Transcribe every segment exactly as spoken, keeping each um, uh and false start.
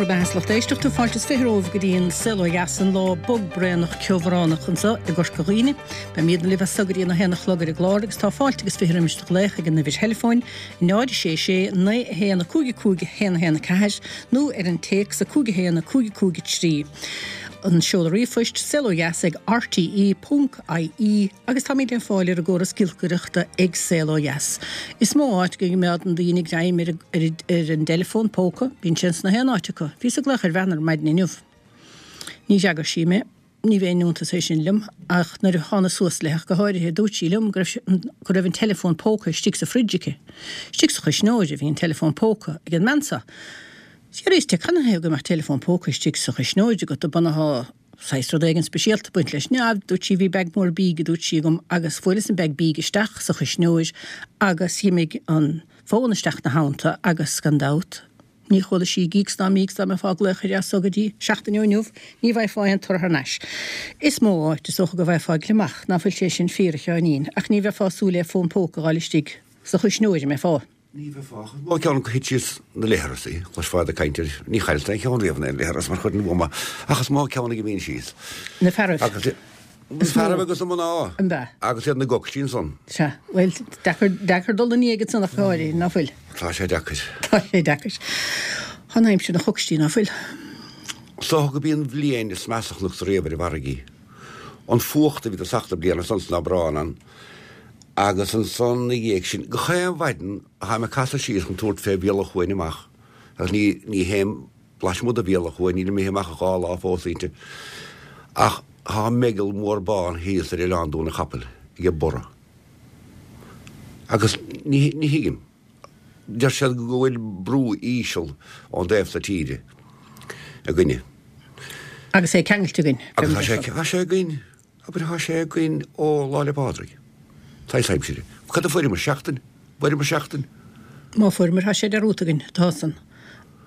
Bhur mbeatha, a lucht éisteachta, fáilte is fiche romhaibh go dtí an Saol Ó Dheas, an lá bog braonach ceobhránach anseo i gCorca Dhuibhne. Beimidne libh as so go dtí an a haon a chlog ar an gclár agus tá fáilte agus fiche roimis do ghlaoch ag an uimhir theileafóin náid sé sé naoi a haon a cúig a cúig a haon a haon a ceathair nó ar an téacs a cúig a haon a cúig a cúig a trí. An seoladh ríomhphoist, saolodheas ag rte ponc ie agus táimid le fáil ar an gcóras giolcaireachta ag Saol Ó Dheas. Is mó áit go gcoimeádann daoine greim ar ar an dteileafón póca, bíonn sé ins na haon áit acu. Bhíos ag glaoch ar bhean ar maidin inniu. Ní d'fhreagair sí mé. Ní bheinn iontas é sin liom, ach nuair a thánas suas léi ach go háirithe, dúirt sí liom go raibh go raibh an teileafón póca istigh sa fridge aici. Istigh sa chuisneoir a bhí an teileafón póca ag an mbean seo. D'fhiafraíos di canathaobh go mbeadh teileafón póca istigh sa chuisneoir agat, do b'ionadh saghas rud éigin speisialta ag baint leis. Ná, dúirt sí, bhí bag mór bídh, a dúirt sí, agam agus bhuaileas an bag bídh isteach sa chuisneoir agus dh'imigh an fón isteach 'na theannta agus gan dabht, ní chuala sí gíocs ná míocs dá mbeifeá ag glaoch uirthi as so go dtí seachtain ó inniu, ní bhfaighfeá aon toradh thar n-ais. Is mó áit, is dócha, go bhfaighfeá gliomach, ná fuil sé sin fíor, a Sheáinín, ach ní bheifeá ag súil le fón póca a dh'fháil istigh sa chuisneoir, an mbeifeá? Ní bheifeá ach is mó ceann acu thit síos na leithreasaí, chloisfeá iad ag caint air, ní chailltear aon cheann riamh in aon leithreas mar chuid den bhuama, ach is mó ceann ag a bhíonn síos. Na fearaibh. Agus na fearaibh agus na mná. An b'ea? Agus iad ina gcocstí ansan. Sea, bhuel, deacair, deacair dul ina ndiaidh ansan ach go háirithe, ná fuil? Tá sé deacair. Tá sé deacair. Tá an aimsir ina chocstí, ná fuil? Is dócha go b'í an bhliain is measa a chonacsa riamh ar an bhfarraige. An fuacht a bhí i dtosach na bliana san 's ná brán ann. Agus ansan 'na dhiaidh sin, gach aon mhaidin tháim ag casadh síos chun tabhairt fé bhealach chuain amach, agus ní, ní théim lasmuigh de bhealach chuain, nílim imithe amach dhá lá fós inti, ach thá meigeall mór bán thíos ar Oileán Dún a' Chapaill ag borradh. Agus ní, ní thuigim. Deir siad go bhfuil brú íseal ón dtaobh so tíre againne. Agus é ceangailte againn. Agus tá sé, tá sé againn. Abair thá sé againn ó Lá 'le Pádraig. Saghas aimsire. Cad a fuaireamar? Seachtain? Bhfuaireamar seachtain? Má fuaireamar, thá sé dearúdta againn, tá san.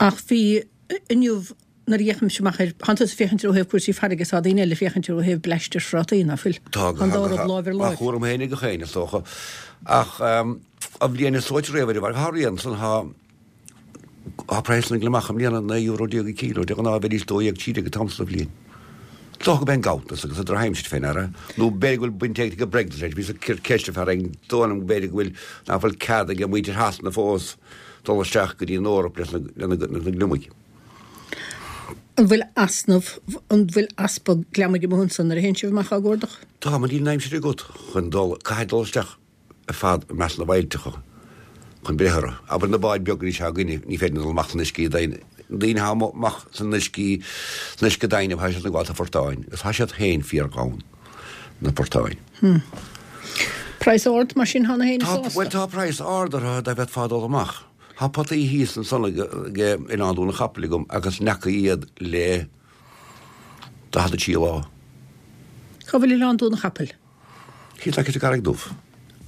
Ach bhí, inniu, nuair a fhéachaimse amach ar, thánn tusa ag féachaint air ó thaobh cúrsaí farraige is tá daoine eile ag féachaint air ó thaobh bleaist ar phrátaí, ná fuil? Tá, Tá an dá rud láimh ar Á láimh. chúram féin ag gach éinne, is dócha. Ach an bhliain is dóite riamh ar an bhfarraige, thá rian san, thá, Tá praghas na ngliomach i mbliana naoi euro déag an kilo, de ghnáth bheidís dó dhéag trí déag an t-am so de bhliain. Is dócha gurb é an ganntanas agus an drochaimsir fé ndeara, nó b'fhéidir go bhfuil baint ag an Brexit leis, bhíos ag cur ceist ar fear éigin, dóigh liom b'fhéidir go bhfuil, nach bhfuil cead ag muintir Shasana fós dul isteach go dtí an Eoraip leis na, le na, na gliomaigh. An bhfuil easnamh, an bhfuil easpa gliomaigh amuigh ansan nuair a théann sibh amach á gcuardach? Tá, mar níl an aimsir agat chun dul, caithfidh dul isteach. ar fad i measc na bhfaillteacha chun breith orthu. Abair na báid beaga anois atá againne, ní féidir linn dul amach san uiscí doimhin. Na daoine atá amach san uiscí, san uisce doimhin, tá siad ag gabháil sna portáin, agus tá siad féin fíor-ghann, na portáin. Hmm. Praghas ard mar sin cheana féin Tá, bhuel tá praghas ard orthu dá bhféadfá dul amach. Tá potaí thíos ansan ag Oileán Dún an Chapaill agam agus n'fheaca iad le daichead a trí lá. Cá bhfuil Oileán Dún an Chapaill? Thíos aice sa gCarraig Dubh.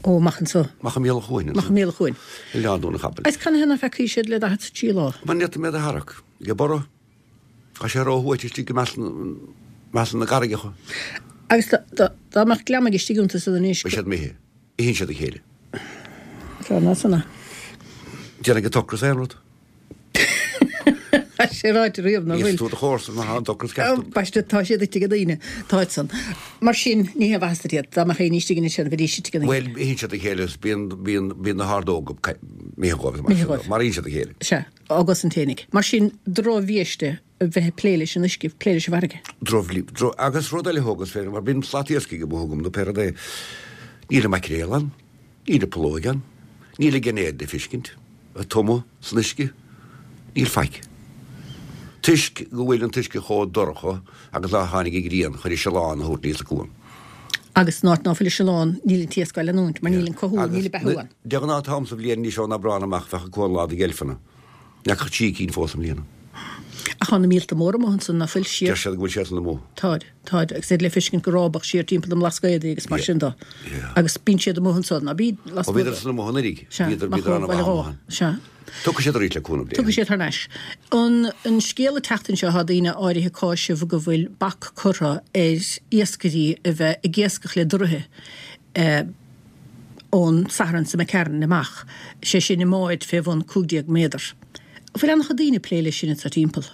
Ó, amach anso. Amach i mbéal an chuain anso. Amach i mbéal an chuain. Oileán Dún an Chapaill. Agus canathaobh ná feacaí siad le daichead 's a trí lá? Mar ní fhéadfaí iad a tharrac. Ag borradh. Tá sé róshuaite istigh i measc measc na gcarraigeacha. Agus dá mbeadh gliomaigh istigh iontu san anois. Beidh siad imithe. Itheann siad a chéile. Tá ná san. Déanfaidh an t-ocras aon rud. Tá sé ráite riamh nach bhfuil. Íosfaidh tú do chomharsa má tá an t-ocras ceart agat. Baiste, tá siad ite ag daoine, táid san. Mar sin, ní haon mhaitheas duit iad. Dá mbeadh éinne istigh anois ann, bheidís ite ag daoine. Bhuel, itheann siad a chéile is bíonn, bíonn, bíonn na hordóga imithe dhóibh is mar sin de. Maraíonn siad a chéile. Sea, á gcosaint fhéinig. Mar sin, drochbhiaiste a bheith ag plé leis an uisce, plé leis an bhfarraige. Droch, droch, agus rud eile a thógas féin, mar bíonn slat iascaigh amuigh agam nó pé rud é, níl an maicréal ann. Níl an pholóig ann. Níl an geinéad le feiscint ag tumadh san uisce. Níl faic. Toisc go bhfuil an t-uisce chomh dorcha agus nár tháinig an ghrian chun an siolán a thabhairt aníos an cuan. Agus san áit ná fuil an siolán, níl an t-iasc á leanúint, mar níl an cothú, níl an beathú ann. De ghnáth an t-am sa bhliain anois ón Aibreán amach bheadh an cuan lán de dheilfeanna. N'fheaca ach trí cinn fós i mbliana. Ach tá na míolta móra amuigh ansan, ná fuil, siar. Deir siad go bhfuil siadsan amuigh. Táid, táid, agus iad le feiscint go rábach siar timpeall na mBlascaodaí agus mar sin do. Agus bíonn siad amuigh ansan, ná bíd, lasmuigh de. Ó bhíodar san amuigh anuraidh. Sea, Bhíodar, bhíodar an-mhaith amuigh ann. Sea. Tiocfaidh siad arís le cúnamh Dé. Tiocfaidh siad thar n-ais. An, an scéal an tseachtain seo, tá daoine áirithe ag cáiseamh go bhfuil bac curtha ar iascairí a bheith ag iascach le doruithe. Ón Satharn seo imigh tharainn amach, sé sin i mbáid fé bhun cúig déag méadar. An bhfuil an-chuid daoine ag plé leis sin anso timpeall?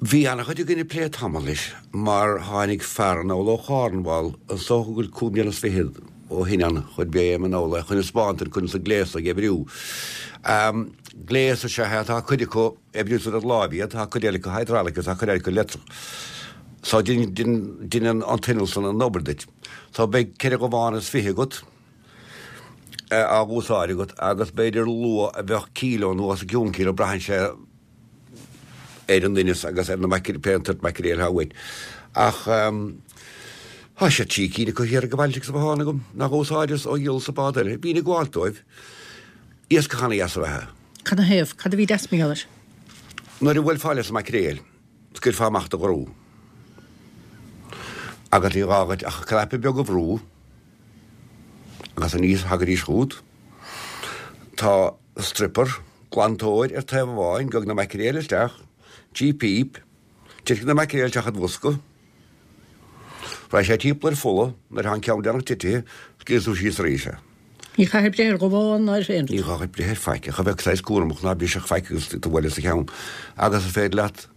Bhí an-chuid againn ag plé tamall leis mar tháinig fear anall ó Chornwall is dócha go bhfuil cúig bliana is fichead ó shin ann chun béim anall é chun a 'spáint conas an gléas ag oibriú. Gléas is ea é, tá cuid acu oibriú sa rud láimh iad, tá cuid eile acu hydraulic agus tá cuid eile acu leictreach. So deineann an t-inneall san an obair duit. So beidh ceithre dhabhán is fiche agat á úsáid agat agus b'fhéidir luaith a bheadh kíló nó os a cionn kíló, braitheann sé ar an ndoimhneas agus ar na pé an tsórt maicréil atá uait. Ach tá sé trí cinn acu thiar ag baile sa bhothán agam nach úsáideas ó dhíolas an bád eile. Bhínn ag gabháil dóibh. Iascach ana-dheas ab ea é. Cad 'na thaobh? Cad a bhí deas mar gheall air? Nuair a bhuailfeá leis an maicréil, scaoilfeá amach do dhrú agus ní gá dhuit ach cnaipe beag a bhrú agus aníos thagaidís chugat. Tá stripper, glantóir, ar taobh amháin, gabhfaidh na maicréil isteach trí phíp, titfidh na maicréil isteach id bhosca, raghaidh sé timpeall ar pholla, nuair atá an ceann deireanach titithe, scaoilfidh tú síos arís é. Ní chaithfidh breith ar dhabhán ná ar aon rud. Ní chaithfidh breith ar faic, ach a bheith saghas cúramach ná brisfeadh faic agus tú bualadh sa cheann. Agus is féidir leat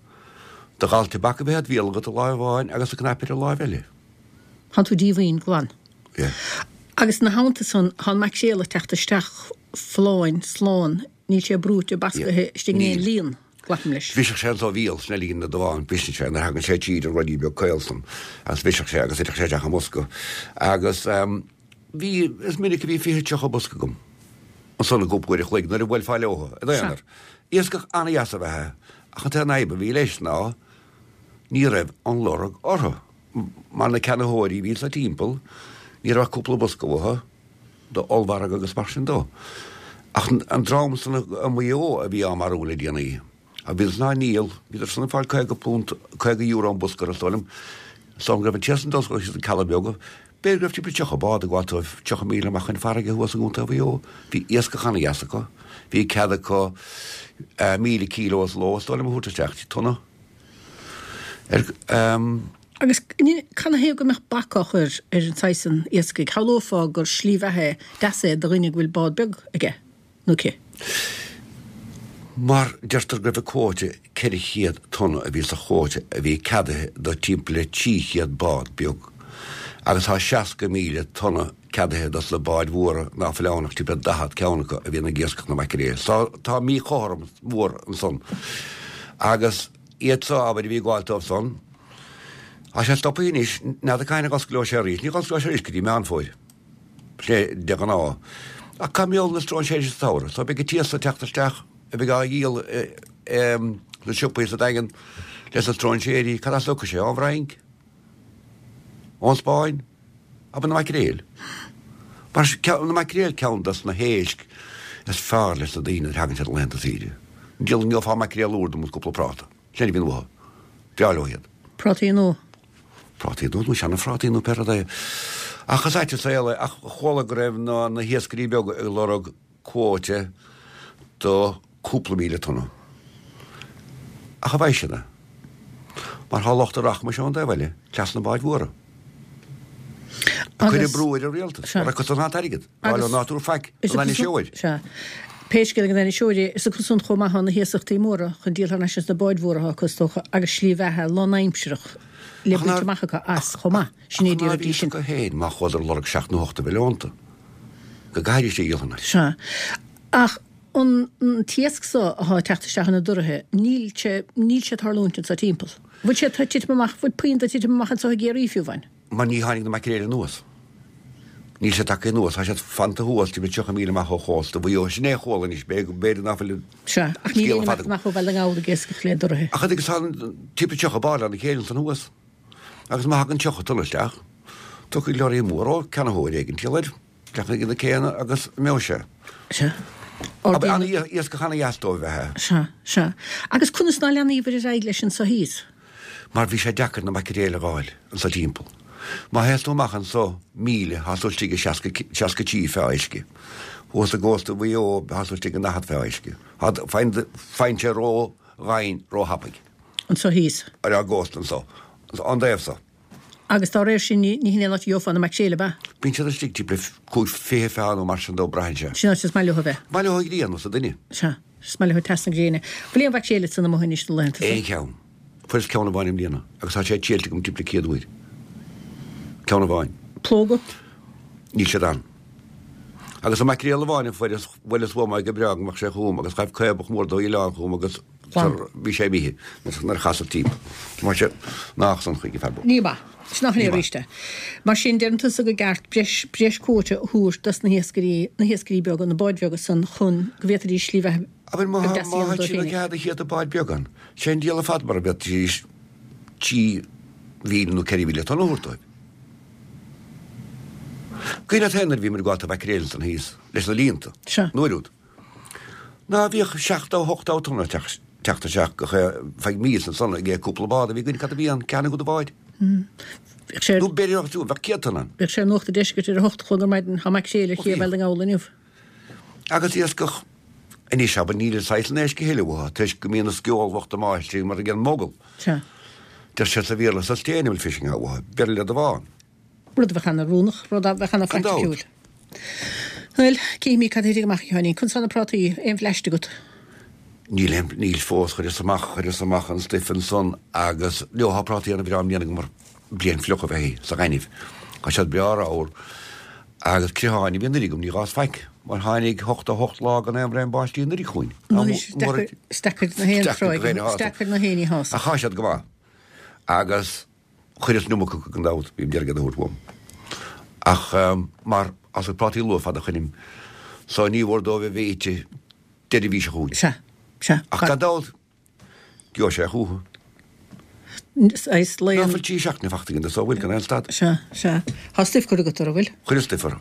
do ghal tobac a bheith id bhéal agat i láimh amháin agus an cnaipe ar an láimh eile. Thánn tú díomhaoin glan. Yeah. Agus ina theannta san, tá an maicréal ag teacht isteach folláin, slán, níl sé brúite, bascaithe istigh in aon líon, glacaim leis. Bhrisfeadh sé anso a bhéal, sin é líon na ndabhán, briseann sé nuair a thagann sé tríd an ruidí beag caol san agus bhrisfeadh sé agus thitfeadh sé isteach i mbosca. Agus bhí, is minic a bhí fiche, tríocha bosca agam ansan i gcúpla uair a chloig nuair a bhuailfeá leothu, id aonar. Iascach an-dheas ab ea é, ach an t-aon fhadhb a bhí leis ná ní raibh an lorg orthu, mar na ceannaitheoirí a bhí anso timpeall, ní raibh ach cúpla bosca uathu do ollmhargadh agus mar sin dó. Ach an dream san i Maigh Eo a bhí á marú le déanaí, a bhíodar san á ndíol, bhíodar san ag fáil caoga punt, caoga euro an bosca is dóigh liom, is dóigh liom go raibh an té san dul síos na Cealla Beaga, B'fhéidir go raibh timpeall tríocha bád ag gabháil dóibh, tríocha míle amach chun farraige thuas i gContae Mhaigh Eo. Bhí iascach ana-dheas acu. Bhí cead acu míle kíló sa ló, is dóigh liom, a thabhairt isteach, tonna. Ar. Agus canathaobh go mbeadh bac á chur ar an saghas san iascaigh? Shamhlófá gur slí bheatha deas é do dhuine go bhfuil bád beag aige nó aici. Mar deirtear go raibh an quota ceithre chéad tonna a bhí sa quota a bhí ceadaithe do timpeall le trí chéad bád beag agus tá seasca míle tonna ceadaithe dos na báid mhóra ná fuil ann ach timpeall le daichead ceann acu a bhíonn ag iascach na maicréil. So tá míchothromas mhór ansan agus iad so abair a bhí ag gabháil dóibh san tá sé stoptha anois n'fheadar cathain a dh'osclóidh sé arís ní dh'osclóidh sé arís go dtí Meán Fómhair. Sé de ghnáth. Ach cá mbeidh na stróinséirí sa tsamhradh? So beidh an t-iasc ag teacht isteach a bheidh á dhíol sna siopaí sa Daingean leis na stróinséirí. Cad as a thiocfaidh sé? Ón bhFrainc? Ón Spáinn? Ab na maicréil? Mar na maicréil ceann dos na héisc is fearr leis na daoine nuair a thagann siad ar laethanta saoire. An ngeofá maicréal úr dom agus cúpla práta. Sin a bhíonn uathu. Breá leo iad. Prátaí nua. Prátaí nua nó seana-phrátaí nó pé rud é. Ach is ait an saol é. Ach chuala go raibh na na hiascairí beaga ag lorg quota do cúpla míle tonna. Ach an bhfaighidh siad é? Mar thá lucht an rachmais ón dtaobh eile, cleas na báid mhóra. Ag cur brú ar an rialtas. Mar acu san atá an t-airgead. Rá leo ná tabhair faic don ainniseoir. Sea. Pé scéal ag an ainniseoir é, is acu san chomh maith atá na hiasachtaí móra chun díol thar n-ais as na báid mhóra atá acu is dócha agus slí bheatha lánaimsearach le baint amach acu as chomh maith. Sin é Ach ná bhí sin acu féin má chuadar ag lorg seacht nó ocht de mhilliúnta go gcaithfidís é a dhíol thar n-ais. Sea. Ach an t-iasc so atá ag teacht isteach ar na doraithe, níl sé, níl sé ag tarlúint anso timpeall. Bhfuil sé ag titim amach, bhfuil puinn de ag titim amach anso i gCiarraí fiú amháin? Mar ní tháinig na maicréil anuas. Níl siad tagtha anuas. Tá siad fanta thuas timpeall tríocha míle amach ó chósta Mhaigh Eo. Sin é a chuala anois. B'fhéidir ná fuil an Sea, ach níl scéal ar fad aon imeacht amach ó Bhaile na nGall ag iascach le doraithe. Ach agus tá timpeall tríocha bád lena chéile ansan thuas. Agus má thagann tríocha tonna isteach, tiocfaidh leoraí mór ó ceannaitheoir éigin timpeall air, teacht ag na céanna agus imeoidh sé. Sea. Ardaíonn. Iascach ana-dheas dóibh a bheith. Sea, sea. Agus conas ná leanaíobhair ar aghaidh leis anso thíos? Mar bhí sé deacair na maicréil a dh'fháil anso timpeall. Má théas tú amach anso míle, thá tú istigh i seasca, seasca trí feá uisce. Thuas i gcósta Mhaigh Eo, thá tú istigh i ndaichead feá uisce. Thá, faigheann, faigheann sé ró-dhoimhin ró-thapaidh. Anso thíos. Ar ár gcósta anso, an taobh so. Agus dá réir sin, ní hin é an áit a gheofá na maicréil, ab ea? Bíonn siad istigh timpeall cúig, fiche feá nó mar sin dó, braitheann sé. Sin áit is maith leo a bheith. Maith leo an ghrian, is an duine. Sea. Is maith leo teas na gréine. Bhfuil aon mhaicréal san amuigh anois na laethanta seo? Aon cheann. Fuaireas ceann amháin i mbliana agus tá sé triailte agam timpeall céad uair. Ceann amháin. Plóga? Níl siad ann. Agus an maicréal amháin a fuaireas, bhuaileas uaim é go breá go mbeadh sé chugam agus ghaibh caobach mór d'oileán chugam agus bhí sé imithe nuair a chasas timpeall. Mar sin, nách san chuige fear bocht. Ní maith. Sin nach léir arís é. Mar sin, deireann tusa gur ceart breis, breis quota a thabhairt dos na hiascairí, na hiascairí beaga, na báid bheaga san chun go bhféadfaidís slí bheatha Abair má beag deas a má dhéanamh tá dóibh siad féinig. cead a chéad bád beag ann, sé an diabhal ar fad mura bhféadfaidís trí mhíle nó ceithre mhíle tonna a thabhairt dóibh. Cuimhin leat féin nuair a bhíomar ag gabháil mhaicréil ansan thíos leis na líonta, Sea. an uair úd. Ná bhíodh seachtó, ochtó tonna ag teacht teacht isteach go feadh míosa ansan ag cúpla bád a bhí againn, cad a bhí ann, ceann acu de bháid. Bheadh sé Nó b'fhéidir nach bheadh céad tonna ann. Bheadh sé ar Nuacht an Deiscirt ar a hocht a chlog ar maidin, tá maicréil ar Ó ché bhíodh. Bhaile na nGall inniu. Agus iascach anois abair níl an saghas san éisc a thuilleadh uathu toisc go mbíonn na sceolbhochta máistrí mar a dhéanann mogall. Sea. Deir siad sa Bhéarla sustainable fishing atá uathu, b'fhearr le do bhán. Rud a bheadh an-oiriúnach, rud a bheadh Gan dabht. an-phraiticiúil. Bhuel, cífimid cad a thitfidh amach, a Sheáinín. Conas tá na prátaí? Aon bhleaist agat? Níl aon, níl fós, chuireas amach, chuireas amach an stuif ansan agus, leo, tá prátaí ana-bhreá i mbliana agam mar bliain fliuch ab ea í, sa ghaineamh. Tá siad breá ramhar agus creatháin a bhí anuraidh agam, ní ghabhas faic, mar tháinig ochtó hocht lá gan aon bhraon báistí anuraidh chugainn. Anois, is deacair, is deacair na haon Is deacair go tráigh, haon is deacair na haon ní shásamh. Ach tá siad go maith. Agus chuireas an iomarca acu gan dabht, bím d'iarraidh iad a thabhairt uaim. Ach mar fhásfaidh prátaí luath fad a choinním so ní mhór dóibh a bheith ite deireadh mhí seo chugainn. Sea, sea. Ach gan dabht, gheobhaidh sé chucu. Is Ná laon. fuil trí seachtaine fachta againn de so bhfuil gan aon stad. Sea, sea. Tá stuif curtha agat orthu, bhfuil? Chuireas stuif orthu.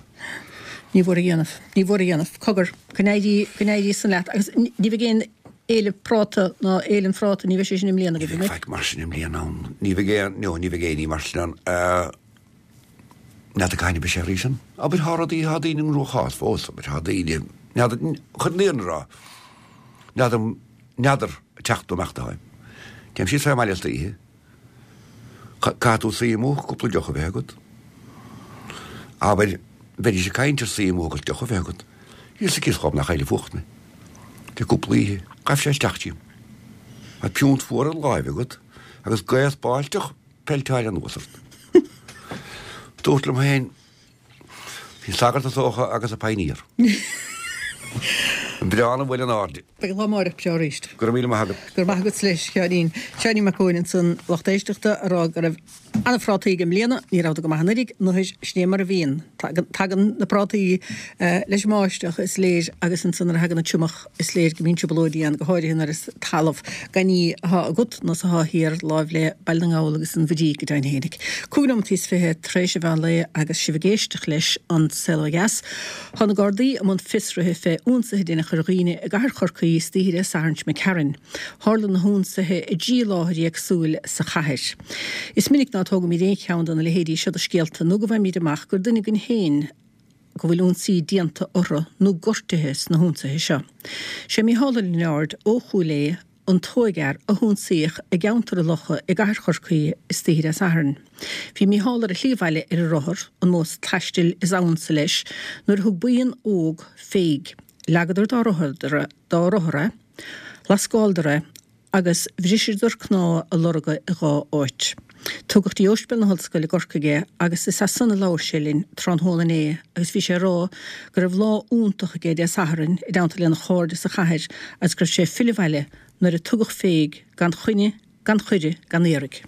Ní mhór a dhéanamh. Ní mhór a dhéanamh. Cogar, go n-éirí, go n-éirí san leat. Agus ní bheidh aon fhéile práta ná Fhéile an Phráta, ní bheidh sé sin i mbliana Ní agaibh, bheidh an mbeidh? faic mar sin i mbliana ann. Ní bheidh aon, no, ní bheidh aon ní mar sin ann. N'fheadar cathain a bheidh sé arís ann. Abair, thá rudaí, thá daoine i gcruachás fós, abair, thá daoine, n'fheadar, chun an fhírinne a rá, n'fheadar, n'fheadar ag teacht nó imeacht atáim. Téim síos fé mbaile istoíche. Caithfidh tú suí amuigh, cúpla deoch a bheith agat. Abair, bheidís ag caint ar suí amuigh agus deoch a bheith agat. Thíos sa cíos chomh nach eile fuacht mé. Le cúpla oíche, ghaibh sé isteach díom. Tá piúnt fuar i láimh agat agus gaoth spáilteach peilteáil anuas ort. Dúrt liom féin, bhí sagart is dócha agus a pioneer. An breá an bhfuil in airde. Beidh lá amárach breá arís. Go raibh míle maith agat. Go raibh maith agat leis, Sheáinín. Seáinín Mac Eoin ansan, lucht éisteachta, a rá go raibh an-phrátaí aige i mbliana, ní rabhadar go maith anuraidh, nuair sin é mar a bhíonn. Tagann na prátaí leis an mbáisteach, is léir, agus ansan nuair a thagann an triomach, is léir go mbíonn trioblóidí ann, go háirithe nuair is talamh gan ní atá agat nó is atá thiar láimh le Baile na nGall agus an Mhuirígh go deimhin fhéinig. Cúig nóimeataí is fiche tar éis an mheán lae agus sibh ag éisteacht leis An Saol Ó Dheas. Tá na Gardaí i mbun fiosruithe fé ionsaithe a deineadh ar dhaoine i gcathair Chorcaí istoíche Dé Sathairn seo imigh tharainn. Tharla na hionsaithe i dtrí láthair éagsúil sa chathair. Is minic ná tógaimid aon cheann de na leithéidí seo de scéalta nó go bhfaighimid amach gur duine againn féin go bhfuil ionsaí déanta orthu nó gortaithe sna hionsaithe seo. Sé Mícheál Ó Lionáird ó Chúil Aodha an t-óigfhear a hionsaíodh i gceantar an Locha i gcathair Chorcaí istoíche Dé Sathairn. Bhí Mícheál ar a shlí abhaile ar a rothar, an modh taistil is ansa leis, nuair a thug buíon óg féig. Leagadar dá rothar dá rothar é, lascáileadar é agus bhriseadar cnámha a lorga i dhá áit. Tugadh dtí Ospidéal na hOllscoile i gCorcaigh é agus is as san a labhair sé linn tráthnóna inné agus bhí sé ag rá go raibh lá iontach aige Dé Sathairn i dteannta lena chairde sa chathair agus go raibh sé ag filleadh abhaile nuair a tugadh féig gan choinne, gan chuireadh, gan iarraidh.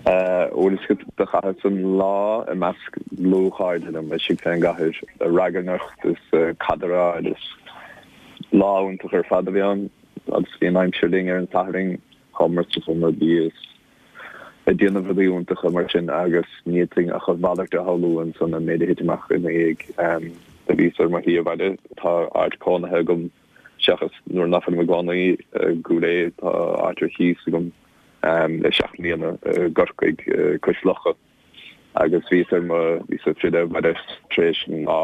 Bhuel is do chaitheas an lá i measc dlúthchairde liom istigh fén gcathair, ag ragairneacht is ag cadráil is lá iontach ar fad a bhí ann agus bhí an aimsir linn ar an Satharn, chuamar sa seomra bídh is ag déanamh rudaí iontacha mar sin agus ní fhéadfainn ach a mhalairt a shamhlú ansan an méid a thit amach ina dhiaidh. Do bhíos ar mo shlí abhaile, tá áit cónaithe agam seachas nuair nach bhfuilim i gcónaí i gCúil Aodha, tá áit ar cíos agam le seacht mbliana i gCorcaigh, cois locha. Agus bhíos ar mo, bhíos ag filleadh abhaile tar éis an lá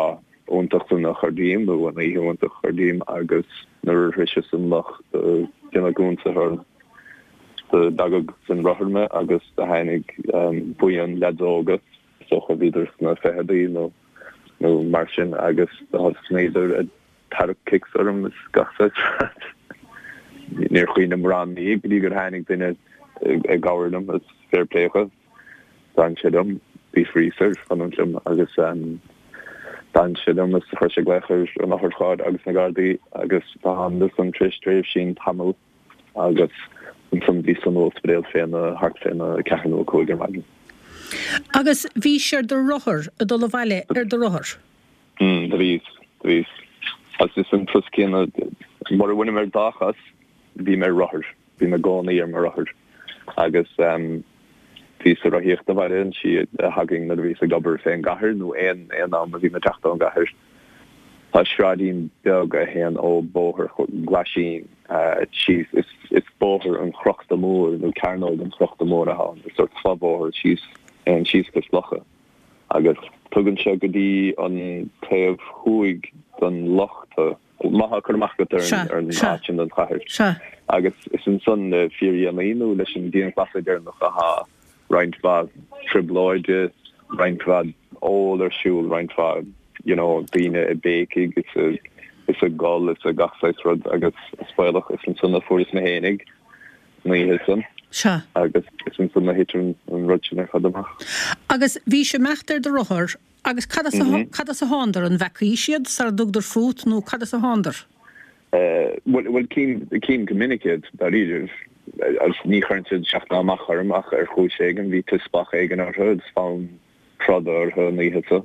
iontach san a chur díom, nó an oíche iontach a chur díom agus nuair a shroiseas an loch do deineadh ionsaithe orm. Do leagadh den rothar mé agus do tháinig buíon leaids óga, is dócha bhíodar sna ficheadaí nó nó mar sin agus do thosnaíodar ag tarrac kicks orm is gach saghas rud. Níor chuimhním mórán ina dhiaidh go dtí gur tháinig duine i gcabhair liom is fair play dhó. D'fhan sé liom, bhí freezer air fanúint liom agus d'fhan sé liom is chuir sé glaoch ar an otharcharr agus na Gardaí agus d'fhanas ansan tar éis tréimhsín tamall agus ansan bhíos san ospidéal féna thart féna ceathair nó a cúig ar maidin. Agus bhís ar do rothar, ag dul abhaile ar do rothar? Mm, do bhíos, do bhíos. Agus is an turas céanna, mura bhfuilim ar dá chos, bím ar rothar, bím i gcónaí ar mo rothar. Agus um, bhíos ag rothaíocht abhaile an tslí a thagainn nuair a bhíos ag obair fén gcathair nó aon aon am a bhím ag teacht ón gcathair. Tá sráidín beag a théann ó Bóthar Ghlaisín síos, is is Bóthar an Chrochta Mór nó Cearnóg an Chrochta Mór atá ann, is sórt fobhóthar síos a théann síos Cois Locha agus tugann sé go dtí an taobh thuaidh den loch tú, má tá cur amach agat ar an ar an áit sin den chathair. Agus is ansan le fíordhéanaí nó leis an dianghlasáil deireanach atá roinnt mhaith trioblóide, roinnt mhaith ól ar siúl, roinnt mhaith you know daoine ag béicigh is a is ag gol is a gach saghas rud agus is baolach is ansan a fuaireas mé fhéinig an oíche san. Sea. Agus is ansan a thit an rud sin ar fad amach. Agus bhís ag imeacht ar do rothar agus cad as a cad as a thándar, an bhfeacaís iad sara dtugadar fút nó cad as a thándar? Bhuel, bhuel cím, cím go minic iad, dáiríribh. Agus ní chuireann siad isteach ná amach orm ach ar chúis éigin bhí teaspach éigin orthu agus fonn troda orthu an oíche so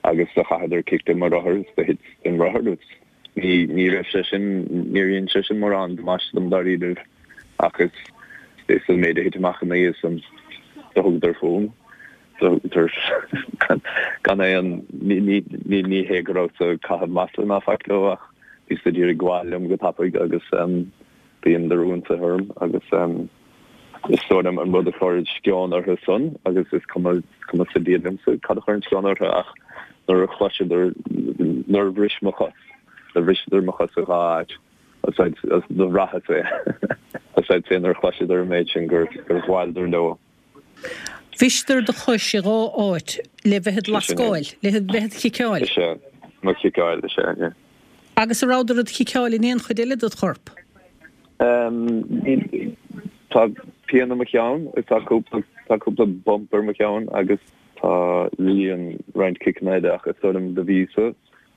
agus do chaitheadar cic de mo rothar is do thit den rothar agus ní, ní raibh sé sin, níor dhein sé sin mórán damáiste dom dáiríribh ach is, is an méid a thit amach an oíche san do thugadar fúm, do thugadar gan, gan aon, ní, ní, ní, ní hé go rabhas ag caitheamh masla ná faic leo ach bhí siad ag iarraidh gabháil liom go tapaidh agus dheineadar ionsaithe orm agus is dóigh liom an rud a chuir sceon orthu san agus is cuma is cuma sa Dia liomsa cad a chuireann sceon orthu ach nuair a chloiseadar nuair a bhris mo chos do bhriseadar mo chos i dhá áit agus do bhraitheas é agus é nuair a chloiseadar an méid sin gur gur ghabhaileadar leo. Bhriseadar do chois i dhá áit le bheith id lascáil, le bheith id chiceáil. Is ea, mo chiceáil, is ea, yeah. Agus an rabhadar id chiceáil in aon chuid eile dod chorp? Tá pian i mo cheann, tá cúpla tá cúpla bump ar mo cheann agus tá rian roinnt ciceanna eile ach is dóigh liom do bhíos-sa,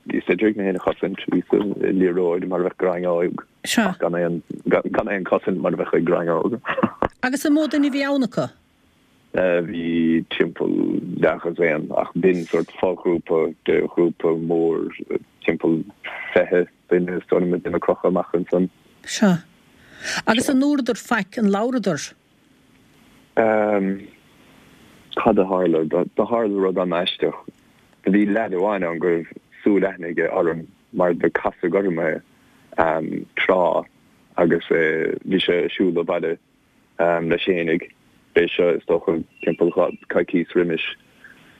bhíos ag iarraidh mé féin a chosaint, bhíos i liathróid mar a bheadh gráinneog ach gan aon gan aon chosaint mar a bheadh ag gráinneog. Agus an mó duine a bhí ann acu? Bhí timpeall leathdhosaen ach b'in sórt foghrúpa de ghrúpa mór timpeall fiche duine is dóigh liom ag déanamh crochadh amach ansan. Sea. Agus an ndúradar faic, an labhradar? Ehm, cad a tharla? Do tharla rud an-aisteach. Do bhí leaid amháin ann go raibh súil aithne aige orm mar do casadh orm é tráth agus bhí sé ag siúl abhaile leis fhéinig. B'é seo is dócha timpeall coicíos roimis.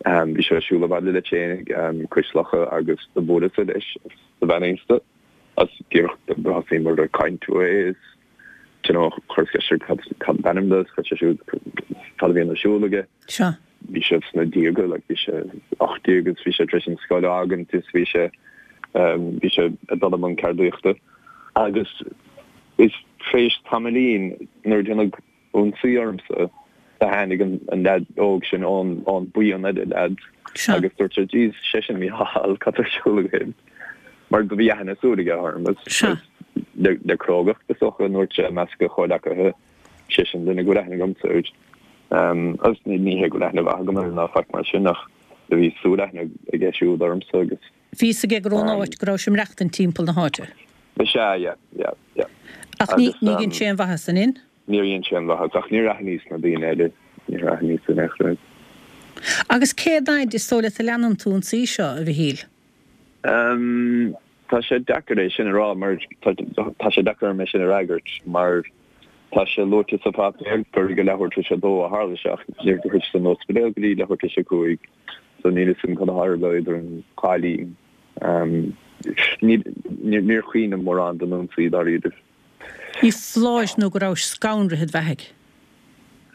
Bhí sé ag siúl abhaile leis fhéinig cois locha agus do bhuaileas-sa leis agus do bheannaíos-sa. Agus díreach do thosaíomar ag caint uaidh is you know chuireas ceist air cad cad ab ainm dó is chuir sé siúd cad a bhíonn ar siúl aige. Sea. Bhí sé sna déaga like bhí sé ocht déag agus bhí sé tar éis an scoil a fhágaint is bhí sé bhí sé ag dul i mbun ceardaíochta. Agus is tar éis tamaillín nuair a deineadh ionsaí ormsa do tháinig an leaid óg sin ón ón buíon eile leaids agus dúirt sé Jeez, sé sin Mícheál, cad tá ar siúl agaibh? Mar do bhí aithne súl aige orm agus le le crógacht is dócha a ndúirt sé i measc a chomhleacaithe sé sin duine go bhfuil aithne agamsa air. Agus ní hé go bhfuil aithne mhaith agam air ná faic mar sin ach do bhí súil aithne aige siúd ormsa agus. Bhí fhios aige gur ón áit go rabhais ag maireachtaint timpeall na háite. Is ea, yeah, yeah, yeah. Ach ní ní dhein sé aon mhaitheas, an in? Níor dhein sé aon mhaitheas, ach níor aithníos na daoine eile, níor aithníos in aon chor. Agus cén fhaid is dóigh leat a leanann tú an tsaoi seo, a Mhichíl? Umm, tá sé deacair é sin a rá mar, tá sé deacair orm é sin a fhreagairt mar tá sé luaite sa pháipéar gur ag a leathuair tar éis a dó a tharla sé ach níor shroicheas an ospidéal go dtí leathuair tar éis a cúig so níl fhios agam cad a tharla idir an dhá linn. Umm, níor chuimhním mórán den ionsaí dáiríre. Ní foláir nó go rabhais scanraithe id bheathaidh?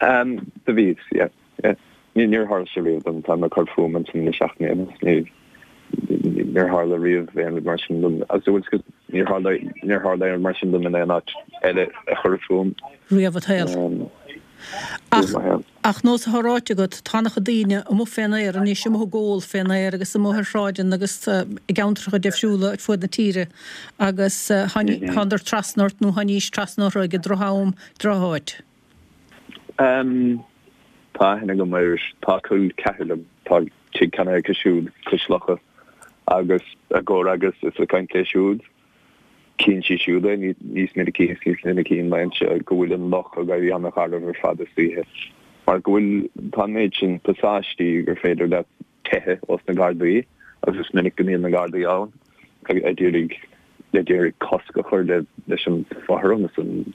Umm, do bhíos, yeah, yeah. Níor tharla sé riamh dom, táim ag cur fúm ansin le seacht mbliana, níor tharla riamh aon rud mar sin dom. Agus bhfuil fhios agat, Níor tharla níor tharla aon rud mar sin dom in aon áit eile a chur fúm. Riamh i do shaol. Ach, ach nós atá ráite agat, tá an-chuid daoine amuigh fén aer anois, amuigh ag ól fén aer agus amuigh ar shráideanna agus i gceantracha difriúla ar fuaid na tíre agus thánadar trasna ort nó tháinís trasna orthu ag droch-am, droch-áit. Tá aithne agam ar, tá col ceathar liom, tá tigh ceannaithe acu siúd cois locha agus i gcomhfhreagras is ag caint léi siúd. Chíonn sí siúd é níos minicí is níos minicí an laethanta seo go bhfuil an loch ag éirí an-gharbh ar fad istoíche mar go bhfuil, tá an méid sin pasáistí gur féidir leat teitheadh ós na Gardaí agus is minic go mbíonn na Gardaí ann ag iarraidh ag iarraidh cosc a chur leis an fothram is an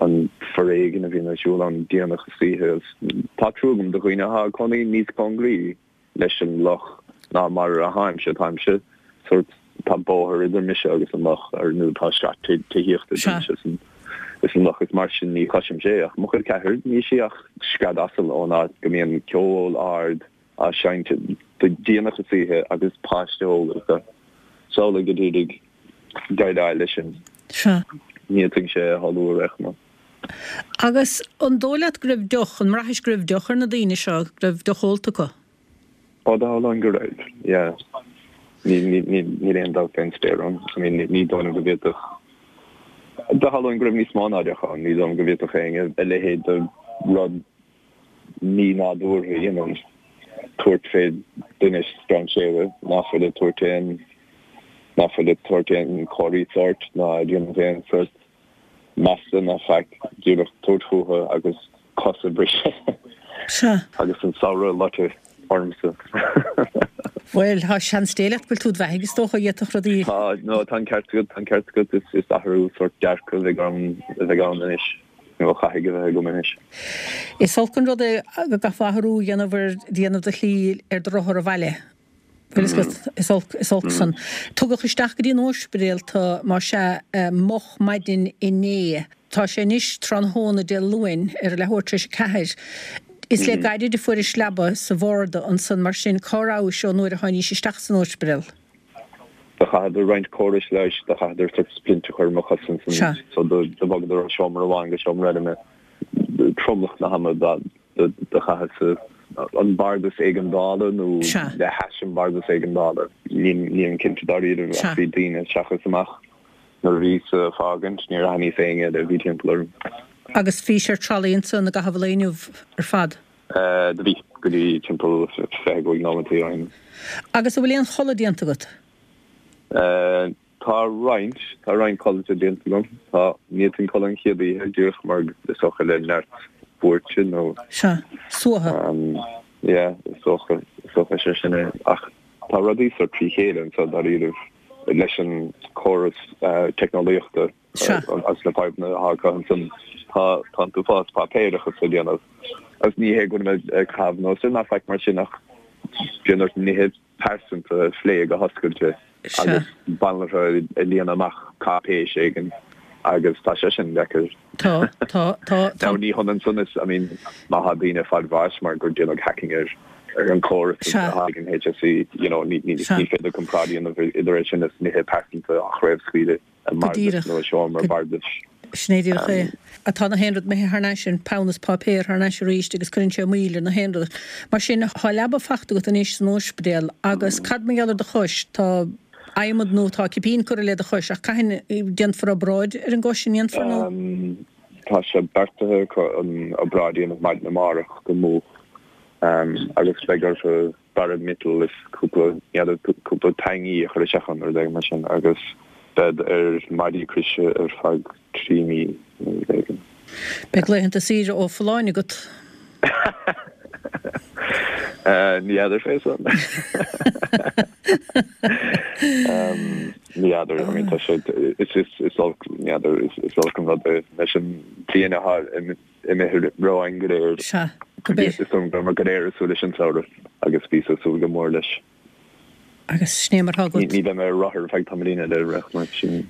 an foréigean a bhíonn ar siúl ann déanach istoíche agus tá trua agam do dhaoine atá ag cónaí níos cóngaraí leis an loch ná mar a tháimse. Táimse sórt, tá bóthar idir mise agus an loch, ar nó tá sraith tithíochta idir mise is an, is an loch, is mar sin ní chloisimse é. Ach mo chol ceathar, níl sí ach scread asail ón áit go mbíonn ceol ard á seinnt go déanach istoíche agus páiste óg acu. Samhlaigh go díreach déileáil leis sin. Sea. Ní fhéadfainnse é a shamhlú ar aon chuma. Agus an dóigh leat go raibh deoch, an mbraithis go raibh deoch ar na daoine seo, go raibh deoch ólta acu? Ó, do shamhlóinn go raibh, yeah. Ní, ní, ní, níl aon dabht fén spéir ann. I mean, ní dóigh liom go bhféadfadh, do shamhlóinn go raibh níos mó ná deoch ann, ní dóigh liom go bhféadfadh éinne a leithéid de rud mí-nádúrtha a dhéanamh, tabhairt fé duine strainséara ná fuil ag tabhairt aon, ná fuil ag tabhairt aon chomharthaí sóirt ná ag déanamh aon sórt masla ná faic, díreach tabhairt fúthu agus cos a bhriseadh. Sea. Agus an samhradh a loiteadh ormsa. Bhuel, tá seans Dé leat go bhfuil tú id bheathaidh, is dócha, d'fhéadfadh rudaí. Tá, no, tá an ceart agat, tá an ceart agat, is, is athrú sórt dearcaidh a bheidh orm, a bheidh ann anois, nó a chaithfidh a bheith agam anois. Is olc an rud é go gcaithfeá athrú a dhéanamh ar, déanamh do shlí ar do rothar abhaile. Bhfuil fhios agat, is olc, is olc san. Tugadh isteach go dtí an ospidéal tu, más ea, moch maidin inné. Tá sé anois tráthnóna Dé Luain, ar a leathuair tar éis a ceathair. Is le gairid a fuairis leaba sa bharda ansan, mar sin, cá rabhais ón uair a tháinís isteach san ospidéal? Do chaitheadar roinnt córais leighis, do chaitheadar sórt splint a chur ar mo chos ansan, so do bhogadar ó seomra amháin go seomra eile mé. Tromlach na hama do chaitheas an bardas éigeandála nó le hais an bardas éigeandála, nílim cinnte dáiríre, ach bhí daoine isteach is amach nuair a bhíos ag fágaint, níor aithníos éinne eile a bhí timpeall orm. Agus bhís ar trolley ansan i gcaitheamh an lae inniu ar fad? Do bhí, go dtí timpeall fiche a cúig nóimeataí ó shin. Agus an bhfuil aon chodladh déanta agat? Tá roinnt, tá roinnt codlata déanta agam. Tá, ní fhéadfainn codladh an chéad oíche, díreach mar is dócha le neart buairte nó. Sea, suaitheadh. Yeah, is dócha, is dócha sé sin é. Ach tá rudaí sórt trí chéile anseo dáiríribh leis an córas teicneolaíochta agus na fadhbanna atá acu ansan. Tá, tá an t-uafás páipéarachas a dhéanamh. Agus ní hé go bhfuil mé ag caitheamh anuas air ná faic mar sin ach bíonn ort nithe pearsanta a phlé go hoscailte agus banaltra ag líonadh amach cáipéis éigin agus tá sé sin deacair. Tá, tá, tá, tá. Now ní hionann san is, I mean, má thá daoine ag fáil bháis mar gur déanadh hacking ar ar an chóras atá ag an HSE, you know, ní ní féidir comparáid a dhéanamh idir é sin is nithe pearsanta á chraobhscaoileadh. i mbardas nó i seomra bardais. Sin é díreach é. Tá na haon rud imithe thar n-ais, an peann is páipéar thar n-ais arís agus cuireann sé moill ar na haon rud. Mar sin, tá leaba fachta agat anois san óispidéal agus cad mar gheall ar do chois? Tá adhmad nó tá cipín curtha le do chois ach cathain déanfar obráid ar an gcois, an ndéanfar nó? Tá sé beartaithe acu an obráid a dhéanamh maidin amárach go moch agus beidh orthu barra miotail is cúpla, n'fheadar, cúpla tainní a chur isteach ann, rud éigin mar sin, agus bead ar maidí croise ar feadh trí mí nó rud éigin. Beidh laethanta saoire ó Folláine agat. Ní fheadar fé san. Ní fheadar, I mean, tá sé, is, is, is olc, ní fheadar, is, is olc an rud é leis an bhliain atá imithe romhainn go léir. Sea, go Is dóigh go raibh muid go léir ag súil leis an samhradh agus bhíos ag súil go mór leis. Agus sin é mar atá agat. Ní bheidh mé ar rothar ar feadh tamaillín eile ar aon chuma, sin.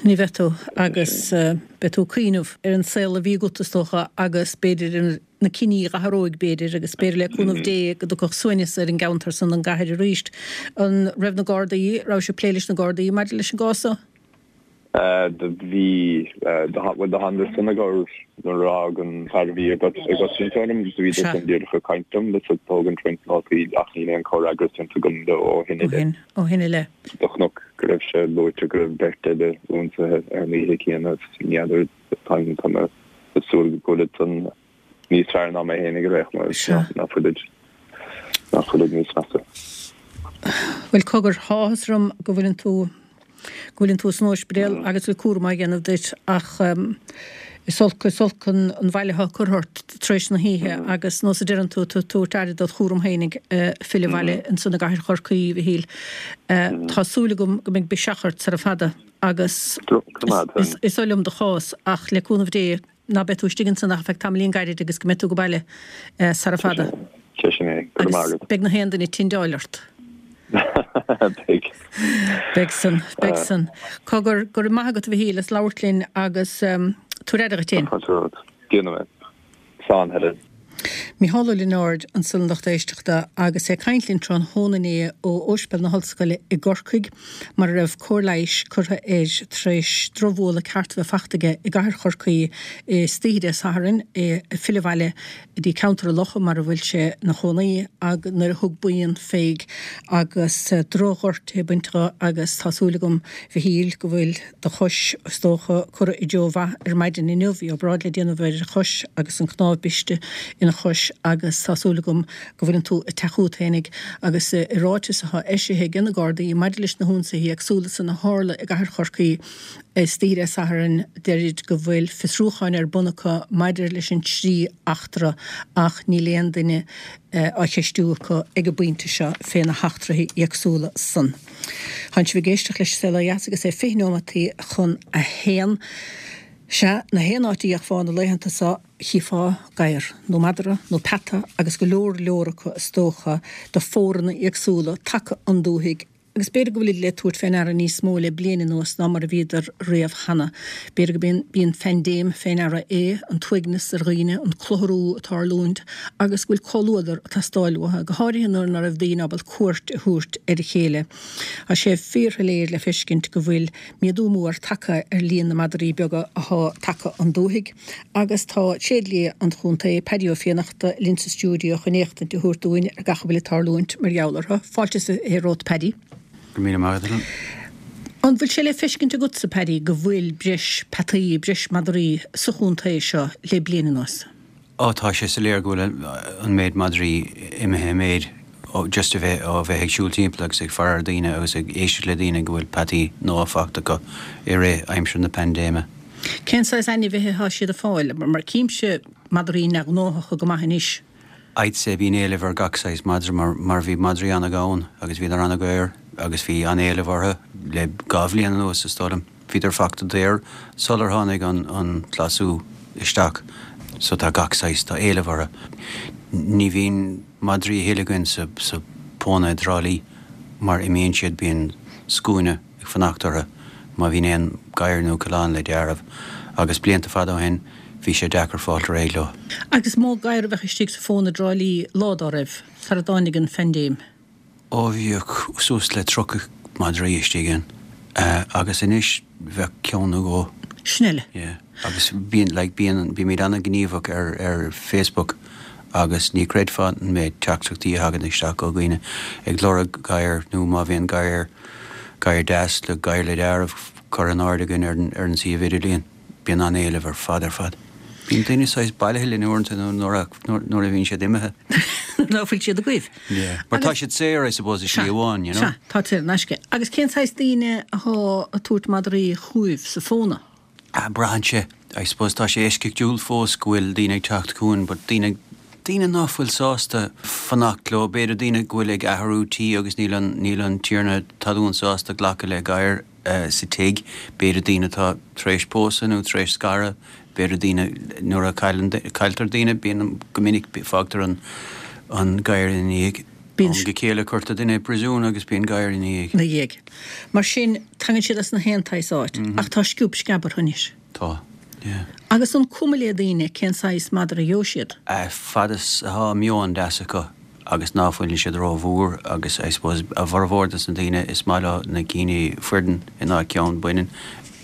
Ní bheidh tú agus beidh tú ag cuimhneamh ar an saol a bhí agat is dócha agus b'fhéidir ar na cinní a athródh b'fhéidir agus b'fhéidir le cúnamh Dé go dtiocfadh suaimhneas ar an gceantar san an gcathair arís. An raibh na Gardaí, raibh sibh ag plé leis na Gardaí maidir leis an gcás seo? Do bhí, bhuel do thánadar san ag nuair a d'fhág an fear a bhí ag cosaint orm, do bhíodar san díreach ag caint liom is ag tógaint roinnt nótaí ach níl aon chomhfhreagras déanta agam leo ó shin i leith. Ó shin i leith. Do chonac go raibh sé luaite go raibh beirt eile ionsaithe ar an oíche chéanna is ní fheadar táim tá mé ag súil go bhfuilid san níos fearr ná mé fhéinig ar aon nós nach bhfuilid nach bhfuilid níos measa. Bhuel cogar, tá áthas orm go bhfuileann tú go bhfuileann tú san ospidéal agus go bhfuil cúram á dhéanamh duit ach is olc is olc an an bhail atá curtha ort tar éis na hoíche agus nós a deireann tú tú tabhairt aire dod chúram fhéinig filleadh abhaile ansan i gcathair Chorcaí, a Mhichíl. Tá súil agam go mbeidh biseach ort sara fada agus is oth liom do chás ach le cúnamh Dé ná beidh tú istigh ansan ach ar feadh tamaillín gairid agus go mbeidh tú go baile sara fada. Sé sin é. Go raibh maith agat. Beidh na haon duine tinn dáil ort. Beidh. Beidh san. Beidh san. Cogar, go raibh maith agat a Mhichíl as labhairt linn agus tabhair aire dhuit fhéin. Tá fáilte romhat. Déanfaidh mé. Slán, Helen. Mícheál Ó Lionáird ansan a lucht éisteachta agus é ag caint linn tráthnóna inné ó Ospidéal na hOllscoile i gCorcaigh mar a raibh cóir leighis curtha air tar éis drochbhualadh ceart a bheith fachta aige i gcathair Chorcaí istoíche Dé Sathairn, é ag filleadh abhaile go dtí ceantar an Locha mar a bhfuil sé ina chónaí ag nuair a thug buíon fé agus drochghortuithe bainte dho agus tá súil agam Mhichíl go bhfuil do chois is dócha curtha i dtreo mhaith ar maidin inniu. Bhí obráid le déanamh ar a chois agus an cnámh briste ina chois agus tá súil agam go bhfuileann tú ag teacht chút fhéinig agus i ráiteas atá eisithe ag na Gardaí maidir leis na hionsaithe éagsúla san a tharla i gcathair Chorcaí Istoíche Dé Sathairn deirid go bhfuil fiosrúcháin ar bun acu maidir leis an trí eachtra ach níl aon duine á cheistiú acu ag an bpointe seo fé na heachtraithe éagsúla san. Tánn sibh ag éisteacht leis Saol Ó Dheas agus é fiche neomataí chun a haon. Sea, na haon áit a dthiocfá na laethanta seo chífeá gadhar, nó madra, nó peata agus go leor leor acu is dócha de phóranna éagsúla tagtha 'on dúthaigh Agus b'fhéidir go bhfuilid le tabhairt fé ndeara níos mó le bliain anuas ná mar a bhíodar riamh cheana. B'fhéidir go mb'in phaindéim fé ndeara é, an t-uaigneas ar dhaoine, an clutharú ag tarlúint agus go bhfuil comhluadar ag teastáil uathu, go háirithe nuair ná raibh daoine ábalta cuairt a thabhairt ar a chéile. Tá sé fíorshoiléir le feiscint go bhfuil méadú mór tagtha ar líon na madraí beaga athá tagtha 'on dúthaigh agus tá tréidlia an chontae, Paddy Ó Fiannachta, linn sa stiúideo chun éachtaint a thabhairt dúinn ar gach a bhfuil ag tarlúint mar gheall orthu. Fáilte is fiche romhat Paddy. Go raibh míle maith agat, Helen. An bhfuil sé le feiscint agatsa, Paddy, go bhfuil breis peataí, breis madraí sa chontae seo le bliain anuas? Ó tá sé soiléir go bhfuil an méid madraí imithe i méid ó just a bheith ó bheith ag siúl timpeall agus ag faire ar daoine agus ag éisteacht le daoine go bhfuil peataí nua fachta acu i rith aimsir na paindéime. Cén saghas ainmhithe atá siad ag fáil? Mar címse madraí neamhghnáthacha go maith anois. I'd say bíonn éileamh ar gach saghas madra mar mar bhí madraí an-ghann agus bhíodar an-dhaor agus bhí an-éileamh orthu le dhá bhliain anuas is dóigh liom. Bhíodar fachta daor sular tháinig an an glasú isteach so tá gach saghas, tá éileamh orthu. Ní bhíonn madraí a thuilleadh againn sa sa phóna i dTrá Lí mar imíonn siad bíonn scuaine ag fanacht orthu má bhíonn aon gadhar nó coileán le deáramh agus blianta fada ó shin bhí sé deacair fáilt réidh leo. Agus is mó gadhar a bheadh istigh sa phóna i dTrá Lí lá dá raibh, sara dtáinig an phaindéim. Ó bhíodh suas le tríocha madraí istigh ann agus anois bheadh ceann nó dhó. Sin eile. Yeah. Agus bíonn like bíonn bímid an-ghníomhach ar ar Facebook agus ní chreidfeá an méid teachtaireachtaí a thagann isteach ó dhaoine ag lorg gadhar nó má bhíonn gadhar gadhar deas le gadhar le deáramh curtha in airde againn ar an ar an suíomh idirlíon. Bíonn an-éileamh ar fad ar fad. Bíonn daoine saghas bailithe linn uaireanta nuair nuair a bhíonn siad imithe. Ná fuil siad agaibh. Yeah. Mar tá siad saor, I suppose, i slí amháin, you know. Sea, tá saor in aisce. Agus cén saghas daoine athá ag tabhairt madraí chugaibh sa phóna? Ah, braitheann sé. I suppose tá sé eisceachtúil fós go bhfuil daoine ag teacht chugainn, but daoine daoine ná fuil sásta fanacht leo, b'fhéidir daoine go bhfuil ag athrú tí agus níl an níl an tiarna talún sásta glacadh le gadhar sa tigh, b'fhéidir daoine atá tar éis pósadh nó tar éis scaradh, b'fhéidir daoine nuair a cailleann cailltear daoine bíonn go minic fágtar an an gadhar ina ndiaidh. Bíonn Am go chéile cuirtear duine i bpríosún agus bíonn gadhar ina dhiaidh. ina dhiaidh. Mar sin, tagann siad as na haon tsaghas áit, ach tá sciob sceab orthu anois. Tá. Yeah. Agus an cuma le daoine cén saghas madra a gheobhaidh siad? Fad is atá meon deas acu agus ná fuileann siad rómhór agus I suppose a bhformhór dos na daoine is maith leo na cinn fireann in áit ceann baineann,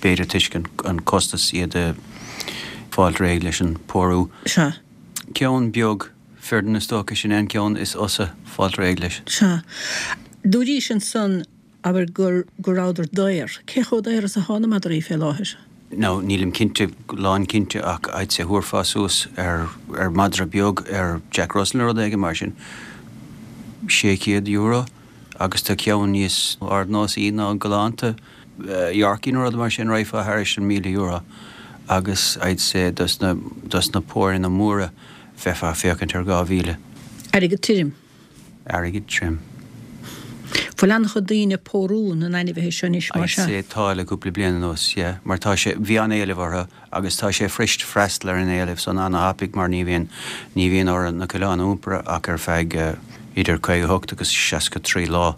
b'fhéidir toisc an costas iad a fáilt réidh leis an pórú. Sea. Ceann beag fireann is dócha sin é an ceann is fhusa fáilt réidh leis. Sea. Dúraís ansan abair gur go rabhadar daor. Cé chomh daor is atá na madraí fé láthair? Now nílim cinnte, lán cinnte ach I'd say thabharfá suas ar ar madra beag ar Jack Russell nó rud éigin mar sin sé chéad euro agus tá ceann níos ardnósaí ná galánta Yorkie nó rud mar sin raghfá thairis an míle euro agus I'd say dos na dos na póranna móra bheifeá ag féachaint ar dhá mhíle. Airgead tirim. Airgead tirim. Bhfuil an-chuid daoine ag pórú na n-ainmhithe seo anois mar I'd sea? say tá le cúpla bliain anuas, yeah, mar tá sé, bhí an-éileamh orthu agus tá sé fuirist freastal ar an éileamh san an-thapaidh mar ní bhíonn, ní bhíonn orthu na coileáin a iompar ach ar feadh idir caoga a hocht agus seasca trí lá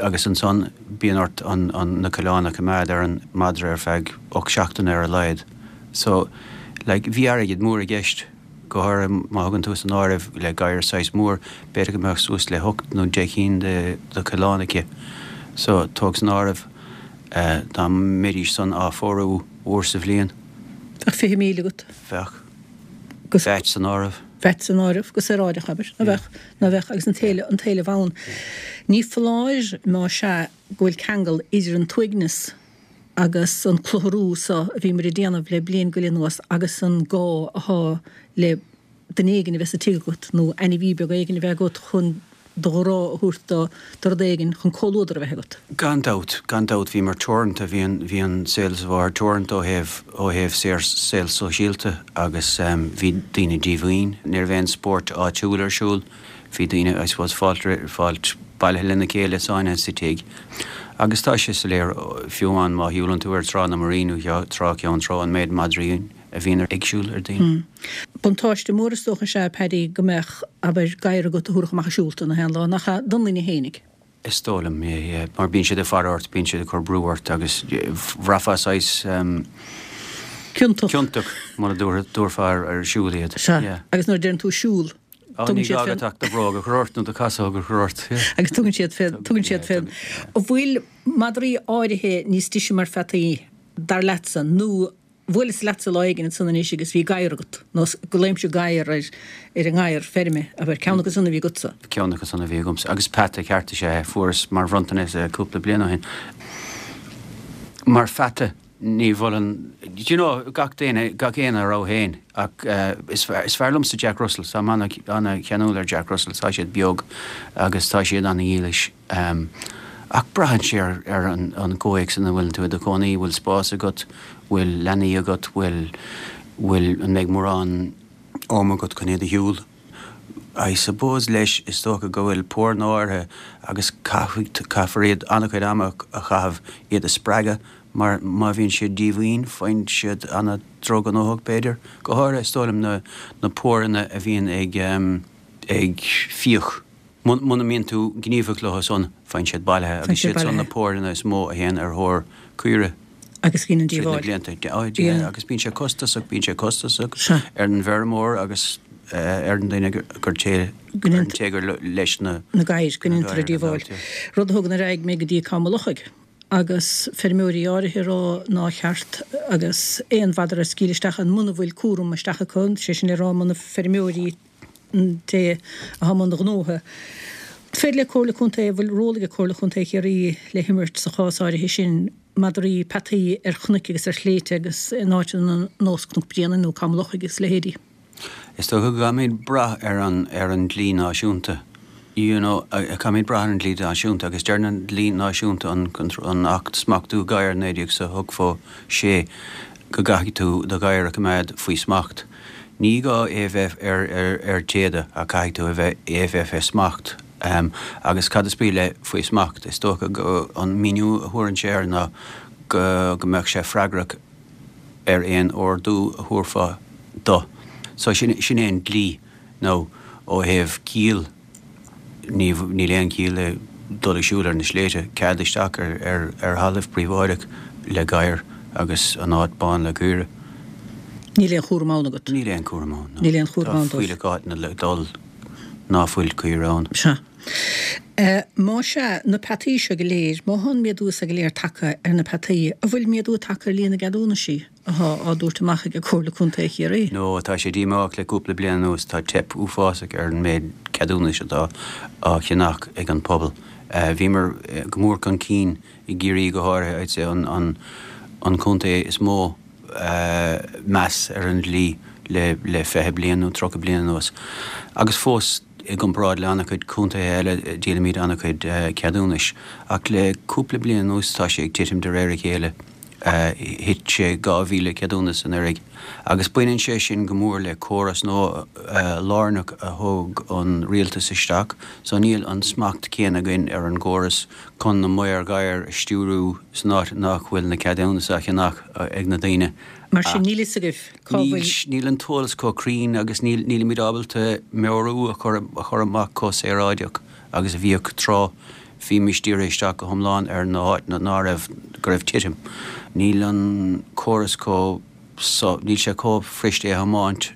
agus ansan bíonn ort an, an, na coileáin a choimeád ar an madra ar feadh ocht seachtaine ar a laghad. So, like, bhí airgead mór i gceist. Go háirithe má thugann tú san áireamh le gadhar saghas mór, b'fhéidir go mbeadh suas le hocht nó deich gcinn de de choileáin aici. So, tóg san áireamh dá mbeidís san á phórú uair sa bhliain. Bheadh fiche míle agat. Bheadh. Agus. VAT san áireamh. VAT san áireamh, go saoráideach, abair. Ná bheadh, ná bheadh, agus an t-éileamh, an t-éileamh ann. Ní foláir, má sea, go bhfuil ceangal idir an t-uaigneas agus an clutharú so a bhíomar ag déanamh le bliain go leith anuas agus an gá athá le duine éigin a bheith sa tigh agat nó ainmhí beag éigin a bheith agat chun do ghrá a thabhairt do do rud éigin chun comhluadar a bheith agat. Gan dabht, gan dabht bhíomar teoranta, bhí an, bhí an saol sa bhfáir teoranta ó thaobh, ó thaobh saor, saol sóisialta agus bhí daoine díomhaoin, ní raibh aon spórt áitiúil ar siúl, bhí daoine, I suppose, fáilt, fáilt bailithe lena chéile sáinnithe sa tigh. Agus tá sé soiléir, fiú amháin má shiúlann tú ar Trá na Muirí nó Trá Cheann Trá, an méid madraí a bhíonn ag siúl ar daoine. Buntáiste mór is dócha is ea, Paddy, go mbeadh, abair, gadhar agat a thabharfadh amach ag siúl tú na haon lá, nach ea, don duine fhéinig? Is dóigh liom, yeah, yeah, mar bíonn siad ag faire ort, bíonn siad ag cur brú ort agus bhraithfeá saghas Ciontach. ciontach mura dtabharfá ar siúl iad. Sea, Yeah. agus nuair a deireann tú siúl, Á, tugann ní siad gá fén. agat ach do bhróg a chur ort nó do chasóg a chur ort, yeah. Agus tugann siad fén, tugann siad Yeah, fén. tugann, yeah. An bhfuil madraí áirithe níos deise mar pheataí, dar leatsa, nó bhuaileas leatsa lá éigin ansan anois agus bhí gadhar agat, nó glaoimse gadhar ar ar an ngadhar feirme, abair, ceann acu san a bhí agatsa. Ceann acu san a bhí agamsa. Agus peata ceart is ea é, fuaireas mar bhronntanas é cúpla bliain ó shin. Mar pheata, ní mholfainn, do you know, gach duine, gach éinne a rogha féin, ach is fearr, is fearr liomsa Jack Russells, táim ana-cheanúil ar Jack Russells, tá siad beag agus tá siad ana-dhílis. Ach braitheann sé ar, ar an, an gcomhthéacs ina bhfuil tú i do chónaí, bhfuil spás agat, bhfuil leanaí agat, bhfuil, bhfuil, an mbeidh mórán ama agat chun iad a shiúl. I suppose leis, is dócha go bhfuil póranna áirithe agus caithfidh, caithfear iad an-chuid ama a chaitheamh iad a spreagadh mar má bhíonn siad díomhaoin faigheann siad an-droghnóthach b'fhéidir. Go háirithe is dóigh liom na, na póranna a bhíonn ag, ag fiach. Muna mbíonn tú gníomhach leo san, faigheann siad bailithe Faigheann agus siad siad san na bailithe. póranna is mó a théann ar thóir caoire. Agus gin an Tríd na díobháil. blianta. Á, Yeah. agus bíonn sé costasach, bíonn sé costasach Sea. ar an bhfeirmeoir agus ar an duine gur té Go ar an ndéant- té gur leis na na gadhair, go na ndéantar a gadhair gan díobháil. dabht, yeah. Rud a thugann ar aghaidh mé go dtí Cam an Lochaigh agus feirmeoirí áirithe ag rá nár cheart agus aon mhadra a scaoileadh isteach ann muna bhfuil cúram isteach acu, sé sin le rá muna feirmeoirí an té atá i mbun gnótha. Féidir le Comhairle Contae, bhfuil ról ag Comhairle Contae Chiarraí le himirt sa chás áirithe sin, madraí, peataí ar chnoic agus ar shléibhte agus in áiteanna ar nós Cnoc Bréanainn nó Cam an Lochaigh agus leithéidí. Is dócha go gcaithfimid brath ar an ar an dlí náisiúnta. You know, caithfimid brath ar an dlí náisiúnta agus deireann an dlí náisiúnta an an Acht Smachtú Gadhar naoi déag is ochtó sé go gcaithfidh tú do ghadhar a choimeád faoi smacht. Ní gá é bheith ar ar ar téada ach caithfidh tú a bheith é a bheith fé smacht. Um, agus cad is brí le faoi smacht? Is dócha go an míniú a thabharann sé air ná go go mbeadh sé freagrach ar aon ordú a thabharfá dó. So sin sin é an dlí nó ó thaobh ciall ní níl aon chiall le dul ag siúl ar na sléibhte, cead isteach ar ar ar thalamh príobháideach le gadhar agus an áit bán le caoire. Níl aon chúram ann agat? Níl aon chúram ann, no. Níl aon chúram ann dóibh. Tá fuílleach áiteanna le dul ná fuil caoire ann. Sea. Má sea, na peataí seo go léir, má thá an méadú so go léir tagtha ar na peataí, an bhfuil méadú tagtha ar líon na gceadúnaisí athá á dtabhairt amach ag Comhairle Contae Chiarraí? No, tá sé díomách le cúpla bliain anuas, tá teip uafásach ar an méid ceadúnais atá á cheannach ag an pobal. Bhíomar go mór chun cinn i gCiarraí go háirithe, I'd say an an an contae is mó meas ar an dlí le le fiche bliain nó tríocha bliain anuas. Agus fós i gcomparáid le an-chuid contaetha eile díolaimid an-chuid ceadúnais. Ach le cúpla bliain anuas tá sé ag titim de réir a chéile. Thit sé dhá mhíle ceadúnas anuraidh. Agus baineann sé sin go mór le córas nua lárnach a thóg an rialtas isteach so níl an smacht céanna againn ar an gcóras chun na maoir gadhair a stiúrú san áit nach bhfuil na ceadúnais á cheannach ag na daoine. Mar sin níl fhios agaibh cá bhfuil. Níl an t-eolas chomh cruinn agus nílimid ábalta meabhrú a chur amach chomh saoráideach agus a bhíodh tráth. Bhímis dírithe isteach go hiomlán ar na háiteanna ná raibh, go raibh titim. Níl an córas chomh, níl sé chomh fuirist é a thiomáint,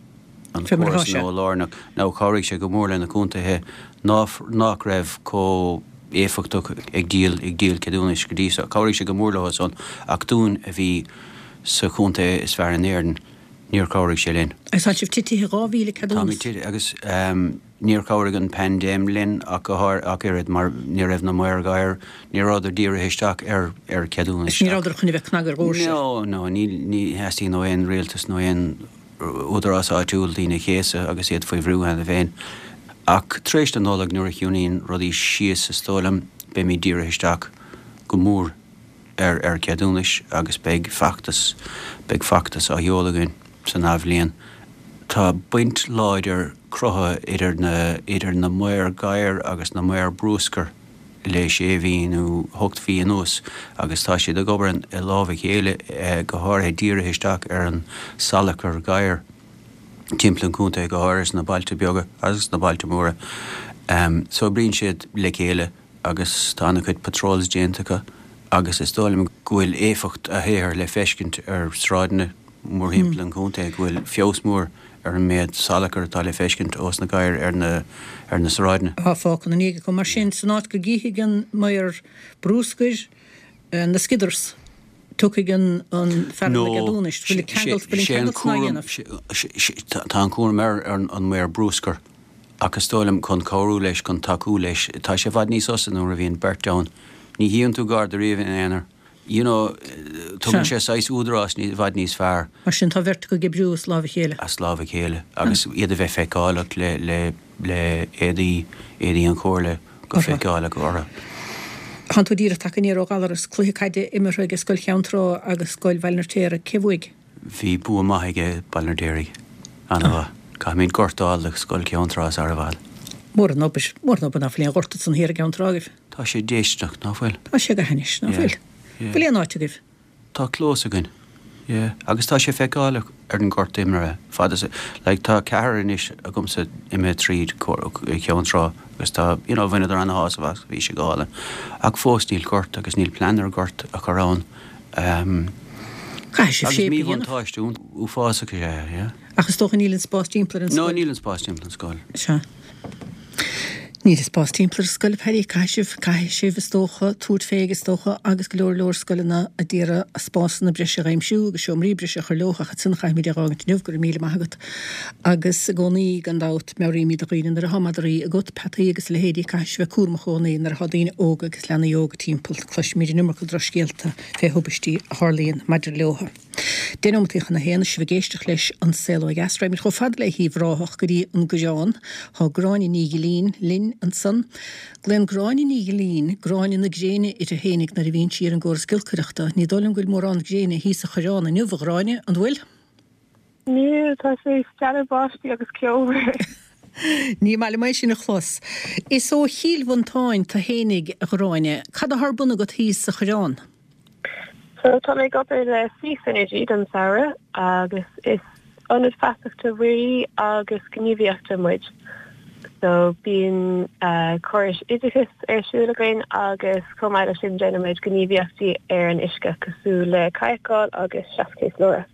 an córas nua lárnach. Now chabhraigh sé go mór le na contaetha nach raibh chomh éifeachtach ag díol, ag díol ceadúnais go dtí so. Chabhraigh sé go mór leo san ach dúinn a bhí sa chontae is fearr in Éirinn, níor chabhraigh sé linn. Agus tá sibh titithe dhá mhíle ceadúnas. Táimid titithe agus níor chabhraigh an paindéim linn ach go háir ach oiread mar ní raibh na maoir gadhair, ní rabhadar dírithe isteach ar ar cheadúnais. Ní rabhadar chun a bheith ag cnagadh ar dhoirse. No, no, ní ní theastaíonn ó aon rialtas nó aon údarás áitiúil daoine a chéasadh agus iad faoi bhrú cheana féin. Ach tar éis na Nollag nuair a chiúnaíonn rudaí síos is dóigh liom beimid dírithe isteach go mór ar ar cheadúnais agus beidh feachtas beidh feachtas á sheoladh againn san athbhliain. Tá baint láidir cruthaithe idir na idir na maoir gadhair agus na maoir bruscair le sé mhí nó ocht mhí anuas agus tá siad ag obair i lámh a chéile go háirithe dírithe isteach ar an salachar gadhair timpeall an chontae go háirithe sna bailte beaga agus sna bailte móra. So oibríonn siad le chéile agus tá an-chuid patrols déanta acu agus is dóigh liom go bhfuil éifeacht a shaothair le feiscint ar sráideanna mórthimpeall an chontae, go bhfuil feabhas mór ar an méid salachair atá le feiscint ós na gadhair ar na ar na sráideanna. Atá fágtha ina ndiaidh acu. Mar sin, san áit go gcífidh an maor bruscair na skidders, tiocfaidh an an fear na gceadúnais. Bhfuil ceangal bhfuil an ceangal san á dhéanamh? Tá an cúram ar an maor bruscair. Ach is dóigh liom chun cabhrú leis, chun tacú leis, tá sé i bhfad níos fusa nuair a bhíonn beirt ann. Ní shuíonn tú garda riamh ina aonar. You know, tugann sé saghas údarás i bhfad níos fearr. Mar sin, tá beirt acu ag oibriú as lámh a chéile. As lámh a chéile. Agus iad a bheith feiceálach le, le, le éadaí, éadaí an Chomhairle go feiceálach orthu. Tánn tú díreach tagtha aniar ó Ghallaras, cluiche caide imeartha ag Scoil Cheann Trá agus Scoil Bhaile an Fheirtéaraigh. Cé bhuaigh? Bhí bua maith ag Baile an Fheirtéaraigh. Ana-mhaith. Caithfimid gort a fháil do Scoil Cheann Trá sara i bhfad. Mór an obair, mór an obair ná fuil aon ghort ansan thiar i gCeann Trá agaibh. Tá sé déistineach, ná fuil? Tá sé go hainnis, ná fuil? Bhfuil aon áit agaibh? Tá clós againn, yeah. Agus tá sé feiceálach ar an ngort imeartha, fad is, like, tá ceathrar anois agamsa imithe tríd Ceann Trá agus tá, you know, bhaineadar ana-shásamh as, bhí sé go hálainn. Ach fós níl gort agus níl plean ar ghort a chur ann. Caithfidh sibh Agus shape a dhéanamh. míbhuntáiste uafásach is ea é, yeah. Ach is dócha níl an spás timpeall ar an No, scoil. níl an spás timpeall an scoil. Sea. Níl an spás timpeall ar an scoil, a Paddy. Caithfidh sibh, caithfidh sibh, is dócha, tabhairt fé, is dócha, agus go leor leor scoileanna a d'iarraidh spásanna breise a aimsiú agus seomraí breise a chur leo ach ansin caithfimid é a dh'fhágaint inniu, go raibh míle maith agat. Agus i gcónaí, gan dabht, meabhraímid do dhaoine nuair atá madraí agat, peataí agus a leithéidí, caithfidh sibh bheith cúramach i gcónaí nuair atá daoine óga agus leanaí óga timpeall. Cloisimid an iomarca drochscéalta fé thubaistí a tharlaíonn maidir leo. Deich nóimeataí chun a haon, sibh ag éisteacht leis An Saol Ó Dheas. Raghaimid chomh fada le hUíbh Ráthach go dtí an Gurán. Tá Gráinne Ní Ghilín linn ansan. Glaonn Gráinne Ní Ghilín Gráinne na Gréine uirthi fhéinig nuair a bhíonn sí ar an gcóras giolcaireachta. Ní dóigh liom go bhfuil mórán gréine thíos sa Choireán inniu, a Ghráinne, an bhfuil? Níl, tá sé ag stealladh báistí agus ceobhar. Ní maith liom é sin a chlos. Is ó Chill Mhantáin tu fhéinig, a Ghráinne. Cad atá ar bun agat thíos sa Choireán? So tá mé ag obair le Sea Synergy don samhradh agus is ionad feasachta mhuirí agus gníomhaíochta muid. So bíonn córais oideachais ar siúl againn agus chomh maith leis sin déanaimid gníomhaíochtaí ar an uisce cosúil le cadhcáil agus seaschéaslóireacht.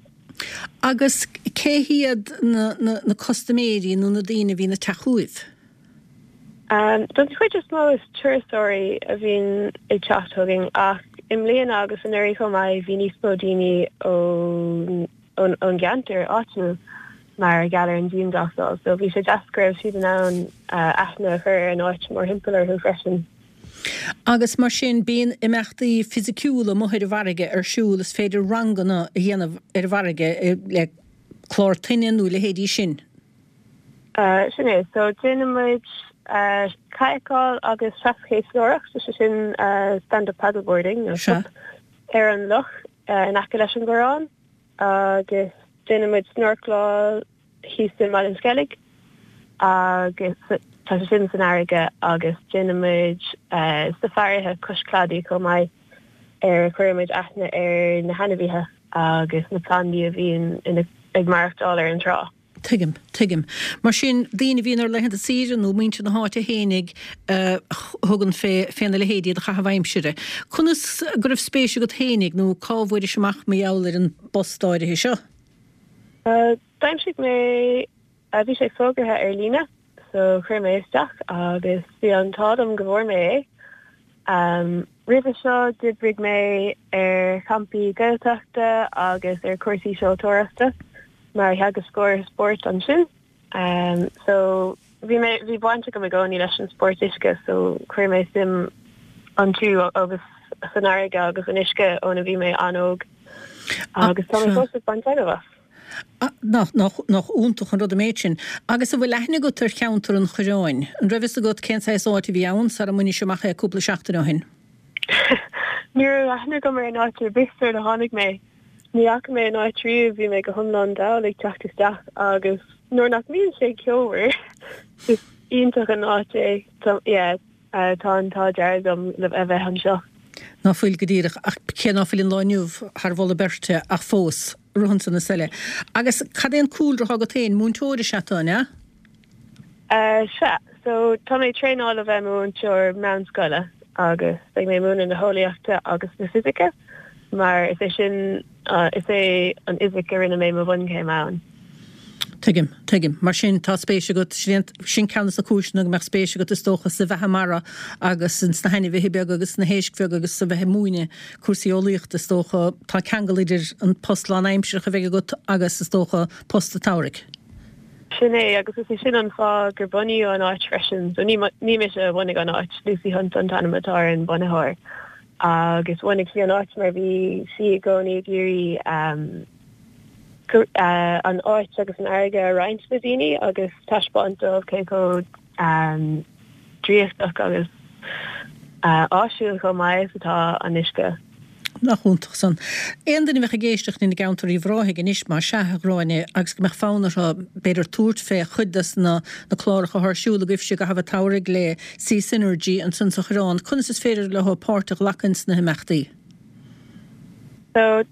Agus cén Cé hiad na, na, na custaiméirí nó na daoine a bhíonn ag teacht chugaibh? Um, don chuid is mó is turasóirí a bhíonn ag teacht chugainn ach i mbliana agus anuraidh chomh maith bhí níos mó daoine ón ón gceantar áitiúil mar gheall ar an dianghlasáil, so bhí sé deas go raibh siad in ann uh, aithne a chur ar an áit mórthimpeall orthu freisin. Agus mar sin bíonn imeachtaí fisiciúla amuigh ar an bhfarraige ar siúl is féidir ranganna a dhéanamh ar an bhfarraige eh, le clár toinne nó leithéidí sin. Uh, sin é, so déanaimid uh, cadhcáil agus traschéaslóireacht, so sin uh, stand-up paddleboarding nó Sea. SUP, ar an loch uh, in aice leis an gCoireán agus déanaimid snorcláil thíos i Ballinskellig agus tá sé sin san fharraige agus déanaimid uh, safáirithe cois cladaigh chomh maith ar chuirimid aithne ar na hainmhithe agus na plandaí a bhíonn ina- ag maireachtáil ar an trá. Tuigim, tuigim. Mar sin daoine a bhíonn ar laethanta saoire nó muintir na háite fhéinig uh, thugann fé féna leithéidí de chaitheamh aimsire. Conas go raibh spéis agat fhéinig nó cá bhfuairis amach mar gheall ar an bpost áirithe seo? Uh, D'aimsigh mé uh, bhí sé fógartha ar líne, so chuir mé isteach agus bhí an t-ádh liom go bhfuair mé é. Um, Roimhe seo d'oibrigh mé ar champaí Gaeltachta agus ar cúrsaí seoltóireachta mar theagascóir spóirt ansin. Um, so bhí mé bhí baint agam i gcónaí leis an spórt uisce, so chuir mé suim iontu agus san fharraige agus an uisce óna bhí mé an-óg agus tá mé sea. fós ag baint taitneamh as. Ah, Nach nach nach iontach an rud an méid sin. Agus an bhfuil aithne agat ar cheantar an Choireáin. An raibh fhios agat cén saghas áit a bhí ann sara mbainis amach é cúpla seachtain ó shin. Ní raibh aithne agam ar an áit ar bith sular tháinig mé. Ní fhaca mé an áit riamh bhí mé go hiomlán dall ag teacht isteach agus nuair nach mbíonn sé ceomhar is iontach an áit é Tá- yeah, uh, tá an t-ádh dearg liom le a bheith anseo. Ná fuil go díreach ach cé ná fuil an lá inniu thar mholadh beirte ach fós ruhan na seile. Agus cad é an cúlra agat féin múinteoir is ea tú, ne? Uh, sea, so tá mé traenáil a bheith múinteoir meánscoile agus beidh mé múineadh na heolaíochta agus na fisice, mar is é sin uh, is é an fhisic a rinne mé mo bhunchéim ann. Tuigim, tuigim. Mar sin tá spéis agat sin sin ceann de na cúiseanna go mbeadh spéis agat is dócha sa bheatha mara agus sna hainmhithe beaga agus na héisc bheaga agus sa bheith ag múineadh cúrsaí eolaíochta is dócha tá ceangal idir an post lánaimseartha a bheidh agat agus is dócha post an tsamhraidh. Sin é agus is é sin an fáth gur bunaíodh an áit freisin, so ní ní mise a bhunaigh an áit Lucy Hunt an t-ainm atá ar an bunaitheoir. Agus bhunaigh sí an áit mar bhí sí i gcónaí ag iarraidh um, gur- uh, an áit agus an fharraige a roinnt le daoine agus taispeáint dóibh cé chomh um, draíochtach agus uh, áisiúil chomh maith is atá an uisce. Nach iontach san. Aon duine a bheadh ag éisteacht ina gceantar Uíbh Ráthaigh anois mar sea a Ghráinne agus go mbeadh fonn orthu b'fhéidir tabhairt fé chuid des na na cláracha atá ar siúl agaibhse i gcaitheamh an tsamhraidh le Sea Synergy ansan sa Choireán, conas is féidir leo páirt a ghlacadh sna himeachtaí. So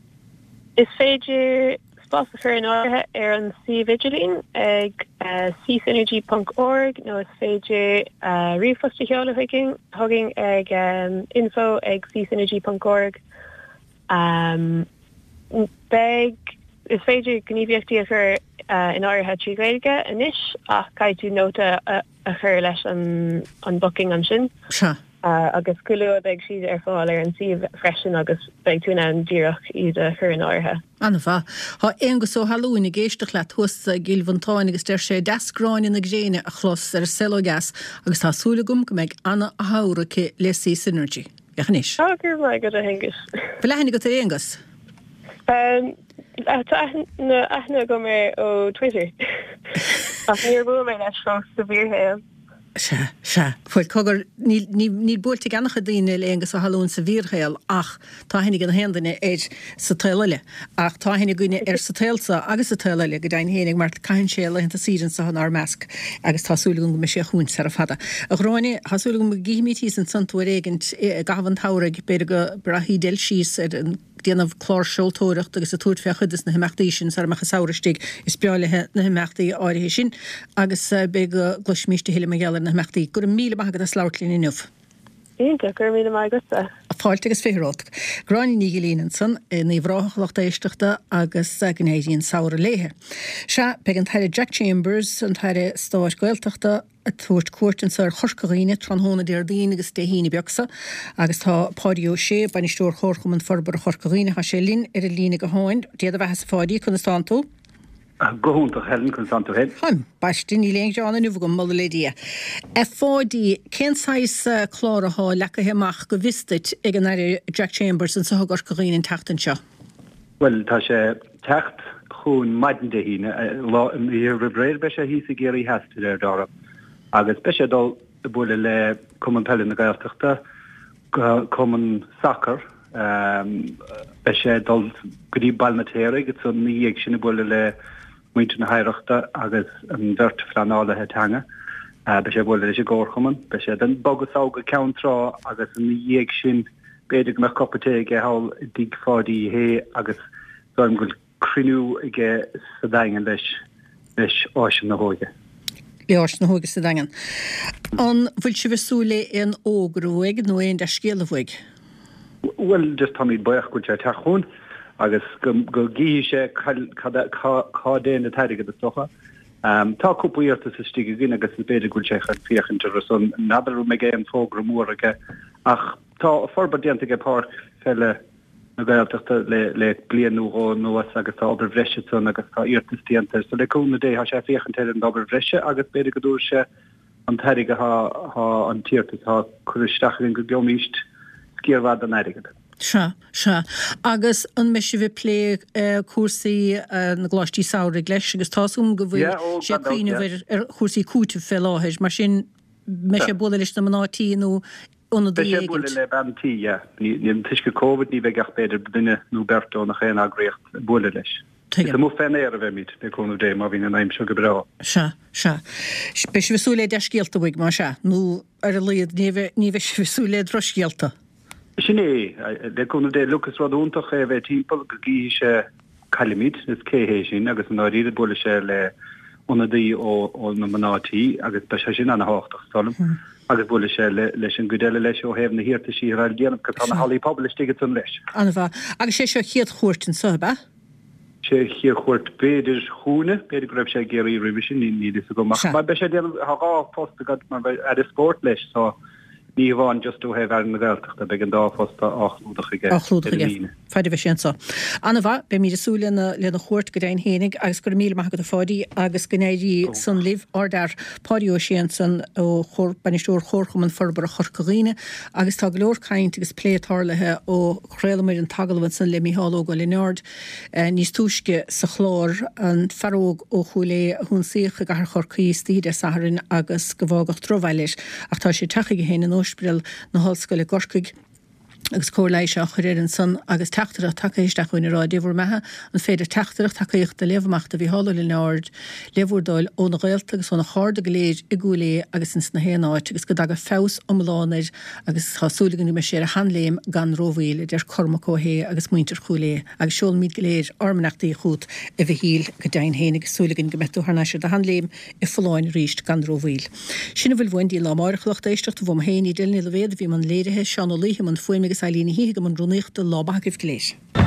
is féidir spás a chur in áirithe ar an suíomh idirlín ag uh, seasynergy.org nó is féidir uh, ríomhphost a sheoladh chugainn chugainn ag um, info ag seasynergy.org. Um, beidh is féidir gníomhaíochtaí a chur uh, in áirithe trí Ghaeilge anois ach caithfidh tú nóta a, a chur leis an, an booking ansin. Sea. Uh, agus go luath beidh siad ar fáil ar an suíomh freisin agus beidh tú in ann díreach iad a chur in áirithe. An-mhaith. Tá Aonghus Ó hAlúin ag éisteacht leat thuas i gCill Mhantáin agus deir sé deas Gráinne na gréine a chlos ar an Saol Ó Dheas agus tá súil agam go mbeidh ana-shamhradh aici le Sea Synergy. Féach anois. Tá gur mai go a Aonghus. Bhfuil aithne agat ar Aonghus? Um, tá aithne aithne agam air ó Twitter. Ach níor bhuail mé leis fós sa bhfíorshaol. Sea, sea. Fuil cogar níl níl buailte ag an-chuid daoine le Aonghus Ó hAlúin sa bhfíorshaol ach tá aithne ag an haon duine air sa tsaol eile. Ach tá aithne againne air sa tsaol agus sa tsaol eile go deimhin fhéinig mar caitheann sé laethanta saoire anseo inár measc agus tá súil agam go mbeidh sé chugainn sara fada. A Ghráinne tá súil agam go gcífimid thíos ansan tú ar éigint i gcaitheamh an tsamhraidh b'fhéidir go rachaidh del síos ar an déanamh clár seoltóireacht agus a tabhairt fé chuid des na himeachtaí sin sara mbeadh an samhradh istigh is breá léi na himeachtaí áirithe sin agus eh, b'fhéidir go gcloisfimid a thuilleadh mar gheall ar na himeachtaí. Go raibh míle maith agat as labhairt linn inniu. Iontach, go raibh míle maith agatsa. Fáilte agus fiche romhat. Gráinne Ní Ghilín ansan in Uíbh Ráthach, a lucht éisteachta, agus go n-éirí an samhradh léithe. Sea, beidh an tAire Jack Chambers, an tAire Stáit Gaeltachta, ag tabhairt cuairt anso ar Chorca Dhuibhne tráthnóna Déardaoin agus Dé hAoine beag so, agus tá Páidí Ó Sé, Bainisteoir Chomharchumann Forbartha Chorca Dhuibhne, tá sé linn ar an líne gutháin. Dia do bheatha-sa Pháidí, conas tánn tú? Go hiontach, Helen, conas tánn tú féin? Ambaiste, níl aon ghearán inniu agam, moladh le Dia. A Pháidí, cén saghas clár athá leagtha amach go bhfios duit ag an Aire Jack Chambers anso i gCorca Dhuibhne an tseachtain seo? Bhuel, tá sé teacht chugainn maidin Dé hAoine, lá an oíche roimh ré beidh sé thíos i gCiarraí Theas de réir dealraimh, agus beidh sé ag dul ag bualadh le Cumann Peile na Gaeltachta, Cumann Sacair, Beidh sé ag dul go dtí Baile an Fheirtéaraigh agus ina dhiaidh sin ag bualadh le muintir na hOidhreachta agus an bheirt phleanálaithe teanga. Beidh sé ag bualadh leis an gComharchumann. Beidh sé ag bogadh sall go Ceann Trá agus ina dhiaidh sin b'fhéidir go mbeadh cupa tae aige thall i dtigh Pháidí Uí Shé agus dóigh liom go bhfuil cruinniú aige sa Daingean leis leis Áiseanna na hÓige. Le Áiseanna na hÓige sa Daingean. An bhfuil sibh ag súil le aon fhógra uaidh nó aon dea-scéala uaidh? Bhuel, just táimid buíoch go bhfuil sé ag teacht chugainn agus go go gcífidh sé cad cá dtéann an t-airgead is dócha. Tá cúpla iarratas istigh againn agus is b'fhéidir go bhfuil sé chun féachaint orthu san. N'fheadar an mbeidh aon fógra mór aige ach tá forbairt déanta aige Páirc Pheile na Gaeltachta le le bliain nó dhó anuas agus tá obair bhreise ansan agus tá iarratas déanta air. So le cúnamh Dé tá sé ag féachaint ar an obair bhreise agus b'fhéidir go dtabharfaidh sé an t-airgead atá atá an t-iarratas atá curtha isteach againn go gheobhaimíst sciar mhaith den airgead. Sea, sea. Agus an mbeidh sibh ag plé cúrsaí na gcoláistí samhraidh leis agus tá's agam go bhfuil Yeah, ó, sé gan ag dabht, cuimhneamh yeah. ar ar chúrsaí cúitimh fé láthair, mar sin mbeidh sé Sea. ag bualadh leis na mná tí nó ionadaí Beidh sé ag éigint. bualadh le bean tí, yeah. Ní, ní, toisc Covid ní bheidh ach b'fhéidir duine nó beirt ó nach aon eagraíocht ag bualadh leis. Is Tuigim. amuigh fén aer a bheimid, le cúnamh Dé, má bhíonn an aimsir go breá. Sea, sea. Beidh sibh ag súil le dea-scéalta uaidh, más ea, nó ar a laghad ní bheidh, ní bheidh sibh ag súil le drochscéalta. Sin é, le cúnamh Dé. Look, is rud iontach é a bheith timpeall, go gcífidh sé cá bhfuilimid, is cé hé sin, agus i ndáiríre buailfidh sé le ionadaí ó, ó na mná tí, agus beidh sé sin ana-thábhachtach, is dóigh liom, agus buailfidh sé le, leis an gcuid eile leis ó thaobh na hiarrataisí atá le déanamh, 'cause tá na Sea. hallaí pobail istigh ansan leis. An-mhaith. Agus sé seo a chéad chuairt anso, ab ea? Sé a chéad chuairt b'fhéidir chugainne, b'fhéidir go raibh sé i gCiarraí roimhe sin, níl fhios agam ach Sea. beidh sé ag déanamh, tá dhá phost agat mar beidh Aire Spóirt leis so ní hamháin just ó thaobh Aire na Gaeltachta, beidh an dá phost á chlúdach aige Á chlúdach ar an aige Aoine. Faid a bheidh sé anso. An-mhaith, beimid ag súil lena lena chuairt go deimhin fhéinig agus go raibh míle maith agat a Pháidí agus go n-éirí san libh. Ardfhear Páidí Ó Sé ansan ó Chomhar, Bainisteoir Chomharchumann Forbartha Chorca Dhuibhne agus tá go leor caint agus plé tarlaithe ó chraolamar an t-agallamh ansan le Mícheál Óg Ó Lionáird níos túisce sa chlár, an fear óg ó Chúil Aodha a hionsaíodh i gcathair Chorcaí istoíche Dé Sathairn agus go bhfágadh drochbhail air. Ach tá sé ag teacht chuige féin in Ospidéal na hOllscoile i gCorcaigh agus cóir leighis á chur air ansan agus teachtaireacht tagtha isteach chugainn ag rá, Dé bhur mbeatha, an féidir teachtaireacht tacaíochta a léamh amach do Mhícheál Ó Lionáird le bhur dtoil óna ghaolta agus óna chairde go léir i gCúil Aodha agus ins na haon áit agus go dtaga feabhas iomlán air agus tá súil againn go mbeidh sé ar a sheanléim gan rómhoill, a deir Cormac Ó hAodha agus muintir Chúil Aodha. Agus seolaimid go léir ár mbeannachtaí chugat, a Mhichíl, go deimhin féin agus súil againn go mbeidh tú thar n-ais ar do sheanléim i bhfolláine arís gan rómhoill. Sin a bhfuil uainn dtí an lá amárach, a lucht éisteachta, uaim féin, Edel Ní Loibhéad a bhí i mbun léirithe, Seán Ó Laoithe i mbun fuaime agus Eileen Ní Shíthigh i mbun rúnaíochta, lá maith agaibh go léir.